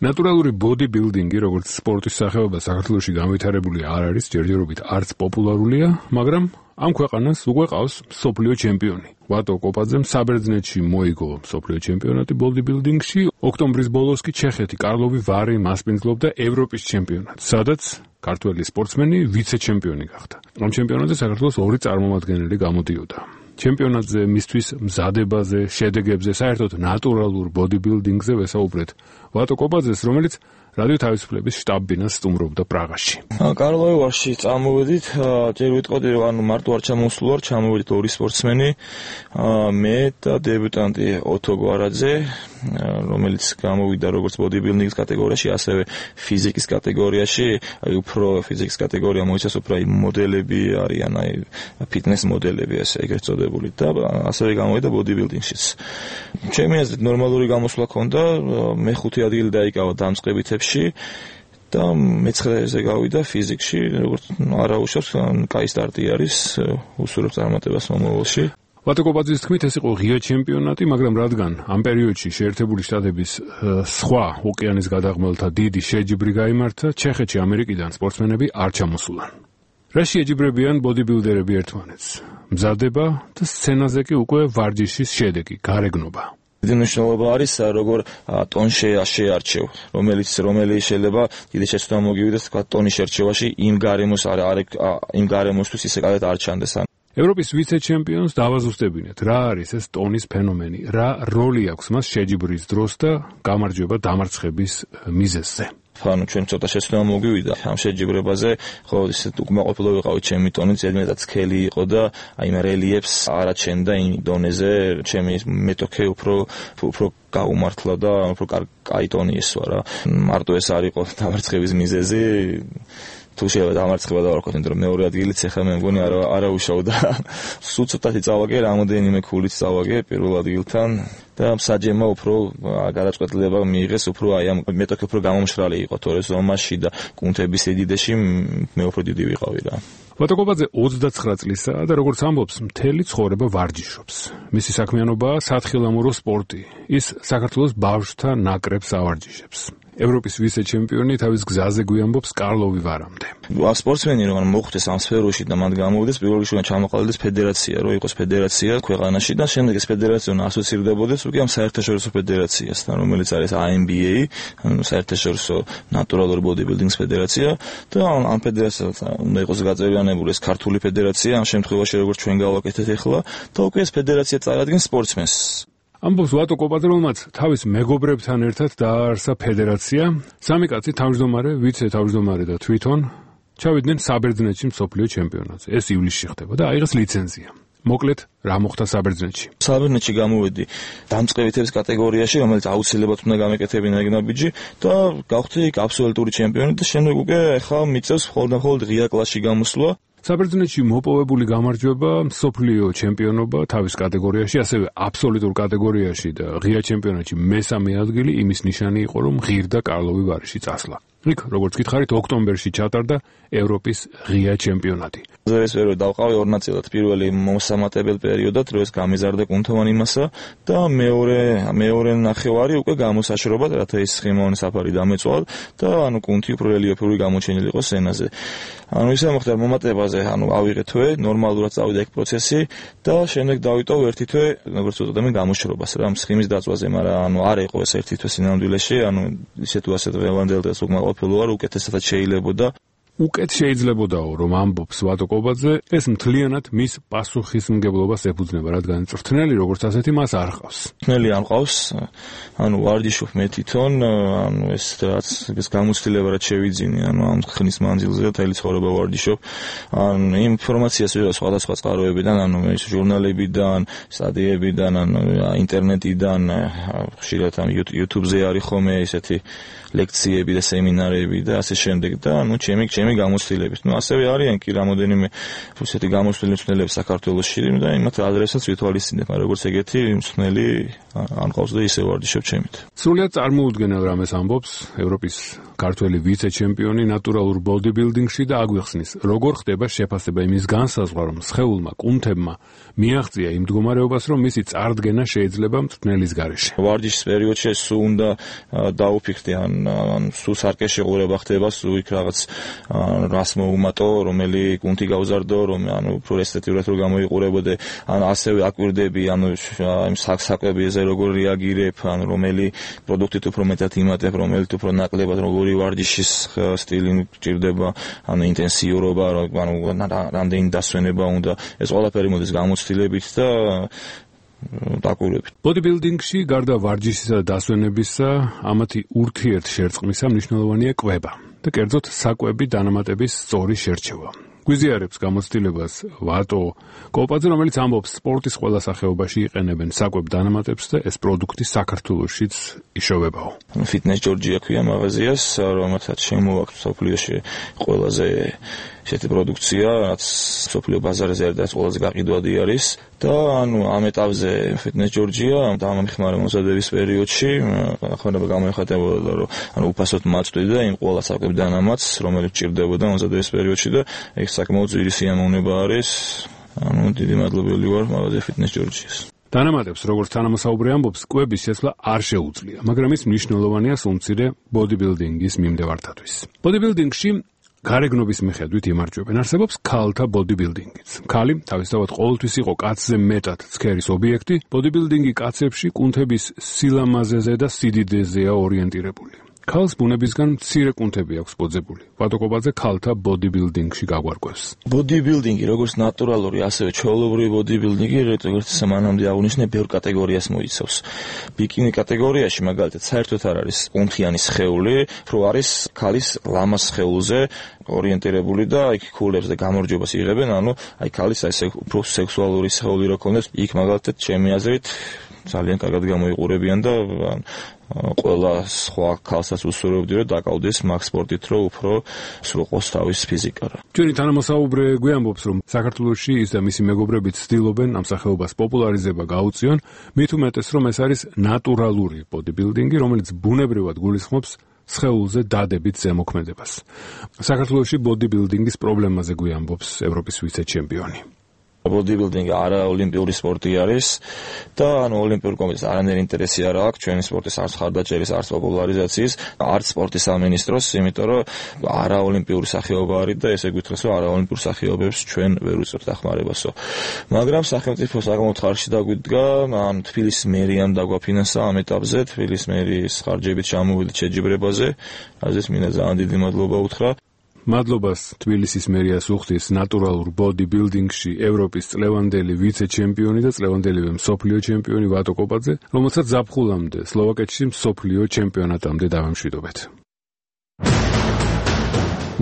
ნატურალური ბოდი-ბილდინგი, როგორც სპორტის სახეობა, საქართველოში განვითარებული არ არის, ჯერჯერობით არც პოპულარულია, მაგრამ ამ ქვეყანას უკვე ყავს მსოფლიო ჩემპიონი. ვატო კოპაძემ საბერძნეთში მოიგო მსოფლიო ჩემპიონატი ბოდი-ბილდინგში, ოქტომბრის ბოლოს კი ჩეხეთი კარლოვი ვარი მასპინძლობდა ევროპის ჩემპიონატს, სადაც ქართველი სპორტსმენი ვიცე-ჩემპიონი გახდა. ამ ჩემპიონატზე საქართველოს ორი წარმომადგენელი გამოდიოდა. ჩემპიონატზე მისთვის მზადებაზე, შედეგებზე, საერთოდ ნატურალურ ბოდი-ბილდინგზე ვესაუბრეთ ვატო კოპაძეს, რომელიც რადიო თავისუფლების შტაბ-ბინას სტუმრობდა პრაღაში.
კარლოვი ვარში წამოვედით, ჯერ ვიტყოდი რომ ანუ მარტო არ ჩამოსულ ვარ, ჩამოვედით ორი სპორტსმენი, მე და დებუტანტი ოტო გვარაძე, რომელიც გამოვიდა როგორც ბოდი-ბილდინგის კატეგორიაში, ასევე ფიზიკის კატეგორიაში, აი უფრო ფიზიკის კატეგორია მოიცავს უფრო აი მოდელები არიან, აი ფიტნეს მოდელები ასე ეგრეთ წოდებული და ასევე გამოვიდა ბოდი-ბილდინგშიც. ჩემი აზრით ნორმალური გამოსვლა ჰქონდა, მეხუთე ადგილი დაიკავა დამწყებითებში და მეცხრეზე გავიდა ფიზიკში, როგორც არაუშავს, კაი სტარტი არის, უსურვებს წარმატებას მომავალში.
ვატო კოპაძის თქმით, ეს იყო ღია ჩემპიონატი, მაგრამ რადგან ამ პერიოდში შეერთებული შტატების სხვა ოკეანის გადაღმელთა დიდი შეჯიბრი გაიმართა, ჩეხეთში ამერიკიდან სპორტსმენები არ ჩამოსულან. რა შეჯიბრებიან ბოდი-ბილდერები ერთმანეთს? მზადება და სცენაზე კი უკვე ვარჯიშის შედეგი, გარეგნობა.
დიდი მნიშვნელობა არის როგორ ტონში შეარჩევ, რომელიც რომელიც შეიძლება დიდი შეცდომა მოგივიდეს თქვა ტონის შერჩევაში იმ გარემოს არ იმ გარემოსთვის ისე კარგად არ ჩანდეს.
ევროპის ვიცე-ჩემპიონს დავაზუსტებინეთ, რა არის ეს ტონის ფენომენი, რა როლი აქვს მას შეჯიბრის დროს და გამარჯვება დამარცხების მიზეზზე.
ანუ ჩვენ ცოტა შეცდომა მოგვივიდა ამ შეჯიბრებაზე, ხო ისე უკმაყოფილო ვიყავი ჩემი ტონით, ზედმეტად სქელი იყო და აი მე რელიეფს არაჩენდა იმ დონეზე, ჩემი მეტოქე უფრო უფრო გაუმართლა და უფრო კაი ტონი ესვა რა. მარტო ეს არ იყო დამარცხების მიზეზი. თუ შეიძლება დამარცხება დავარქოთ, იმიტომ რომ მეორე ადგილიც ახლა მე მგონი არა არა უშავდა. სულ ცოტათი წავაგე, რამოდენიმე ქულით წავაგე პირველ ადგილთან და საჯემა უფრო გადაწყვეტილება მიიღეს, უფრო აი ამ მეტოქე უფრო გამომშრალი იყო თორე ზომაში და კუნთების სიდიდეში მე უფრო დიდი ვიყავი რა.
ვატოკობაძე ოცდაცხრა წლისაა და როგორც ამბობს, მთელი ცხოვრება ვარჯიშობს. მისი საქმიანობაა სათხილამურო სპორტი. ის საქართველოს ბავშვთა ნაკრებს ავარჯიშებს. ევროპის ვიცე-ჩემპიონი თავის გზაზე გვიამბობს კარლოვი ვარამდე.
სპორტსმენი რომ მოხვდეს ამ სფეროში და მან გამოვიდეს, პირველ რიგში ჩამოყალიბდეს ფედერაცია, რომ იყოს ფედერაცია ქვეყანაში და შემდეგ ეს ფედერაცია ასოცირდებოდეს უკვე ამ საერთაშორისო ფედერაციასთან, რომელიც არის A M B A, ანუ საერთაშორისო ნატურალური ბოდიბილდინგის ფედერაცია და ამ ფედერაციასთან უნდა იყოს გაწევრიანებული ეს ქართული ფედერაცია, ამ შემთხვევაში როგორც ჩვენ გავაკეთეთ ახლა და უკვე ეს ფედერაცია წარადგენს სპორტსმენს.
ამბობს ვატოკობაძე, რომელმაც თავის მეგობრებთან ერთად დააარსა ფედერაცია, სამი კაცი თავმჯდომარე, ვიცე-თავმჯდომარე და თვითონ ჩავიდნენ საბერძნეთში მსოფლიო ჩემპიონატზე. ეს ივლისში ხდება და აიღეს ლიცენზია. მოკლედ, რა მოხდა საბერძნეთში?
საბერძნეთში გამოვედი დამწყებითების კატეგორიაში, რომელიც აუცილებლად უნდა გამეკეთებინა ეგნაბიჯი და გავხდი აბსოლუტური ჩემპიონი და შემდეგ უკვე ახლა მიწევს მხოლოდ ღია კლასში გამოსვლა.
საბერძნეთში მოპოვებული გამარჯვება, მსოფლიო ჩემპიონობა თავის კატეგორიაში, ასევე აბსოლუტურ კატეგორიაში და ღია ჩემპიონატში მესამე ადგილი იმის ნიშანი იყო, რომ ღირდა კარლოვი ვარიში წასლა. იქ, როგორც გითხარით, ოქტომბერში ჩატარდა ევროპის ღია ჩემპიონატი.
ეს პერიოდი დავყავი ორ ნაწილად. პირველი მოსამატებელ პერიოდად, რომ ეს გამიზარდა კუნთოვან იმასა და მეორე მეორე ნახევარი უკვე გამოსაშრობად, რათა ის სხემოვანი საფარი დამეწვალ და ანუ კუნთი უფრო რელიეფური გამოჩენილი იყო სცენაზე. ანუ ისე მოხდა მომატებაზე, ანუ ავიღე თვე, ნორმალურად წავიდა ეგ პროცესი და შემდეგ დავიტოვ ერთი თვე, როგორც ვუწოდებ, გამოშრობას რა სხემის დაწვაზე, მაგრამ ანუ არ იყო ეს ერთი თვე სინამდვილეში, ანუ ისე თუ ასე დღევანდელ დღეს უკმაყოფილო არ უკეთესად შეიძლებოდა.
უკეთ შეიძლებოდაო, რომ ამბობს ვატოკობაძე, ეს მთლიანად მის პასუხისმგებლობას ეფუძნება, რადგან წვრთნელი როგორც ასეთი მას არ ყავს.
წვრთნელი არ ყავს, ანუ ვარჯიშობ მე თვითონ, ანუ ეს რაც ეს გამოცდილება რაც შევიძინე, ანუ ამ ხნის მანძილზე მთელი ცხოვრება ვარჯიშობ. ანუ ინფორმაციას ვიღებ სხვადასხვა წყაროებიდან, ანუ ეს ჟურნალებიდან, სტატიებიდან, ანუ ინტერნეტიდან, ხშირად ამ YouTube-ზე არის ხოლმე ესეთი ლექციები და სემინარები და ასე შემდეგ და ანუ ჩემი ჩემი გამოცდილებით. ნუ ასევე არიან კი რამოდენიმე ესეთი გამოცდილი მწვრთნელები საქართველოში და იმათ ადრესაც ვითვალისწინებ, მაგრამ როგორც ეგეთი მწვრთნელი არ ყავს და ისე ვარჯიშობ ჩემით.
სრულიად წარმოუდგენელ რამეს ამბობს ევროპის ქართველი ვიცე-ჩემპიონი ნატურალურ ბოდიბილდინგში და აგვიხსნის, როგორ ხდება შეფასება იმის განსაზღვრა, რომ სხეულმა კუნთებმა მიაღწია იმ მდგომარეობას, რომ მისი წარდგენა შეიძლება მწვრთნელის გარეშე.
ვარჯიშის პერიოდში სულ უნდა დაუფიქრდე ან ან სულ სარკეშეყურება ხდება, სულ იქ რაღაც რას მოუმატო, რომელი კუნთი გავზარდო, რომ ანუ უფრო ესთეტიურად რო გამოიყურებოდე, ან ასევე აკვირდები, ანუ იმ საკვებიზე როგორ რეაგირებ, ან რომელი პროდუქტით უფრო მეტად იმატებ, რომელიც უფრო ნაკლებად როგორი ვარჯიშის სტილი გჭირდება, ანუ ინტენსიურობა, ანუ რამდენი დასვენება უნდა, ეს ყველაფერი მოდის გამოცდილებით და დაკვირვებით.
ბოდიბილდინგში გარდა ვარჯიშისა და დასვენებისა, ამათი ურთიერთშერწყმისა მნიშვნელოვანია კვება და კერძოდ საკვები დანამატების სწორი შერჩევა. გვიზიარებს გამოცდილებას ვატო კოპაძე, რომელიც ამბობს, სპორტის ყველა სახეობაში იყენებენ საკვებ დანამატებს და ეს პროდუქტი საქართველოშიც იშოვებაო.
Fitness Georgia ქვია მაღაზიას, რომელსაც შემოაქვს სოფლიოში ყველაზე ესეთი პროდუქცია, რაც სოფლიო ბაზარზე არის ყველაზე გაყიდვადი არის და ანუ ამ ეტაპზე Fitness Georgia დამამხმარე მომზადების პერიოდში ახალება გამოიხატებოდა, რომ ანუ უფასოდ მაწვდიდა იმ ყველა საკვებ დანამატს, რომელიც ჭირდებოდა მომზადების პერიოდში და ეს საკმაოდ ძვირი სიამოვნება არის. ანუ დიდი მადლობელი ვარ მაღაზია Fitness Georgia-ს.
დანამატებს, როგორც თანამოსაუბრი ამბობს, კვების შეცვლა არ შეუძლია, მაგრამ ის მნიშვნელოვანია სულმცირე ბოდიბილდინგის მიმდევართათვის. ბოდიბილდინგში გარეგნობის მიხედვით იმარჯვებენ. არსებობს ქალთა ბოდიბილდინგიც. ქალი თავისთავად ყოველთვის იყო კაცზე მეტად ცქერის ობიექტი, ბოდიბილდინგი კაცებში კუნთების სილამაზეზე და სიდიდეზეა ორიენტირებული. ქალს ბუნებისგან მცირე კუნთები აქვს ბოძებული. ვატოკობაძე ქალთა ბოდიბილდინგში გაგვარკვევს.
ბოდიბილდინგი, როგორც ნატურალური, ასევე ჩვეულებრივი ბოდიბილდინგი, როგორც მანამდე აღნიშნე, ბევრ კატეგორიას მოიცავს. ბიკინი კატეგორიაში მაგალითად საერთოდ არ არის კუნთიანი სხეული, რო არის ქალის ლამას სხეულზე ორიენტირებული და იქ ქულებს და გამარჯვებას იღებენ, ანუ აი ქალის აი უფრო სექსუალური სხეული რო ქონდეს, იქ მაგალითად ჩემი აზრით ძალიან კარგად გამოიყურებიან და ყველა სხვა ქალსაც უსურვებდი რომ დაკავდეს მაგ სპორტით, რომ უფრო სრულყოს თავის ფიზიკა.
ჩვენი თანამოსაუბრე გვიამბობს, რომ საქართველოში ის და მისი მეგობრები ცდილობენ ამ სახეობას პოპულარიზება გაუწიონ, მით უმეტეს რომ ეს არის ნატურალური ბოდიბილდინგი, რომელიც ბუნებრივად გულისხმობს სხეულზე დადებით ზემოქმედებას. საქართველოში ბოდიბილდინგის პრობლემაზე გვიამბობს ევროპის ვიცე-ჩემპიონი.
ბოდიბილდინგი არა ოლიმპიური სპორტი არის და ანუ ოლიმპიურ კომიტეტს არანაირი ინტერესი არ აქვს ჩვენი სპორტის არც ხარდაჭერის, არც პოპულარიზაციის, არც სპორტის სამინისტროს, იმიტომ რომ არა ოლიმპიური სახეობა არის და ესე გვითხრას რომ არა ოლიმპიურ სახეობებს ჩვენ ვერ უწევთ დახმარებასო. მაგრამ სახელმწიფო საკმაოდ ხარში დაგვიდგა, ან თბილისის მერიამ დაგვაფინანსა ამ ეტაპზე, თბილისის მერის ხარჯებით ჩამოვიდით შეჯიბრებაზე, აზრის მინდა ძალიან დიდი მადლობა უთხრა.
მადლობას თბილისის მერიას უხდის ნატურალურ ბოდიბილდინგში ევროპის წლევანდელი ვიცე-ჩემპიონი და წლევანდელი მსოფლიო ჩემპიონი ვატოკობაძე, რომელსაც ზაფხულამდე სლოვაკეთში მსოფლიო ჩემპიონატამდე დავამშვიდობეთ.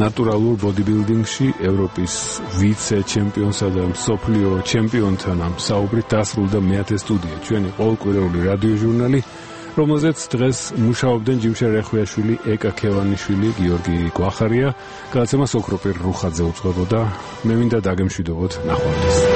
ნატურალურ ბოდიბილდინგში ევროპის ვიცე-ჩემპიონსა და მსოფლიო ჩემპიონთან ამ საუბრით დასრულდა მეათე სტუდია, ჩვენი ყოველკვირეული რადიოჟურნალი, რომელზეც დღეს მუშაობდნენ ჯიმშე რეხვიაშვილი, ეკა ქევანიშვილი, გიორგი გვახარია, გადაცემას ოქროპირ რუხაძე უძღვებოდა. მე მინდა დაგემშვიდობოთ, ნახვამდის.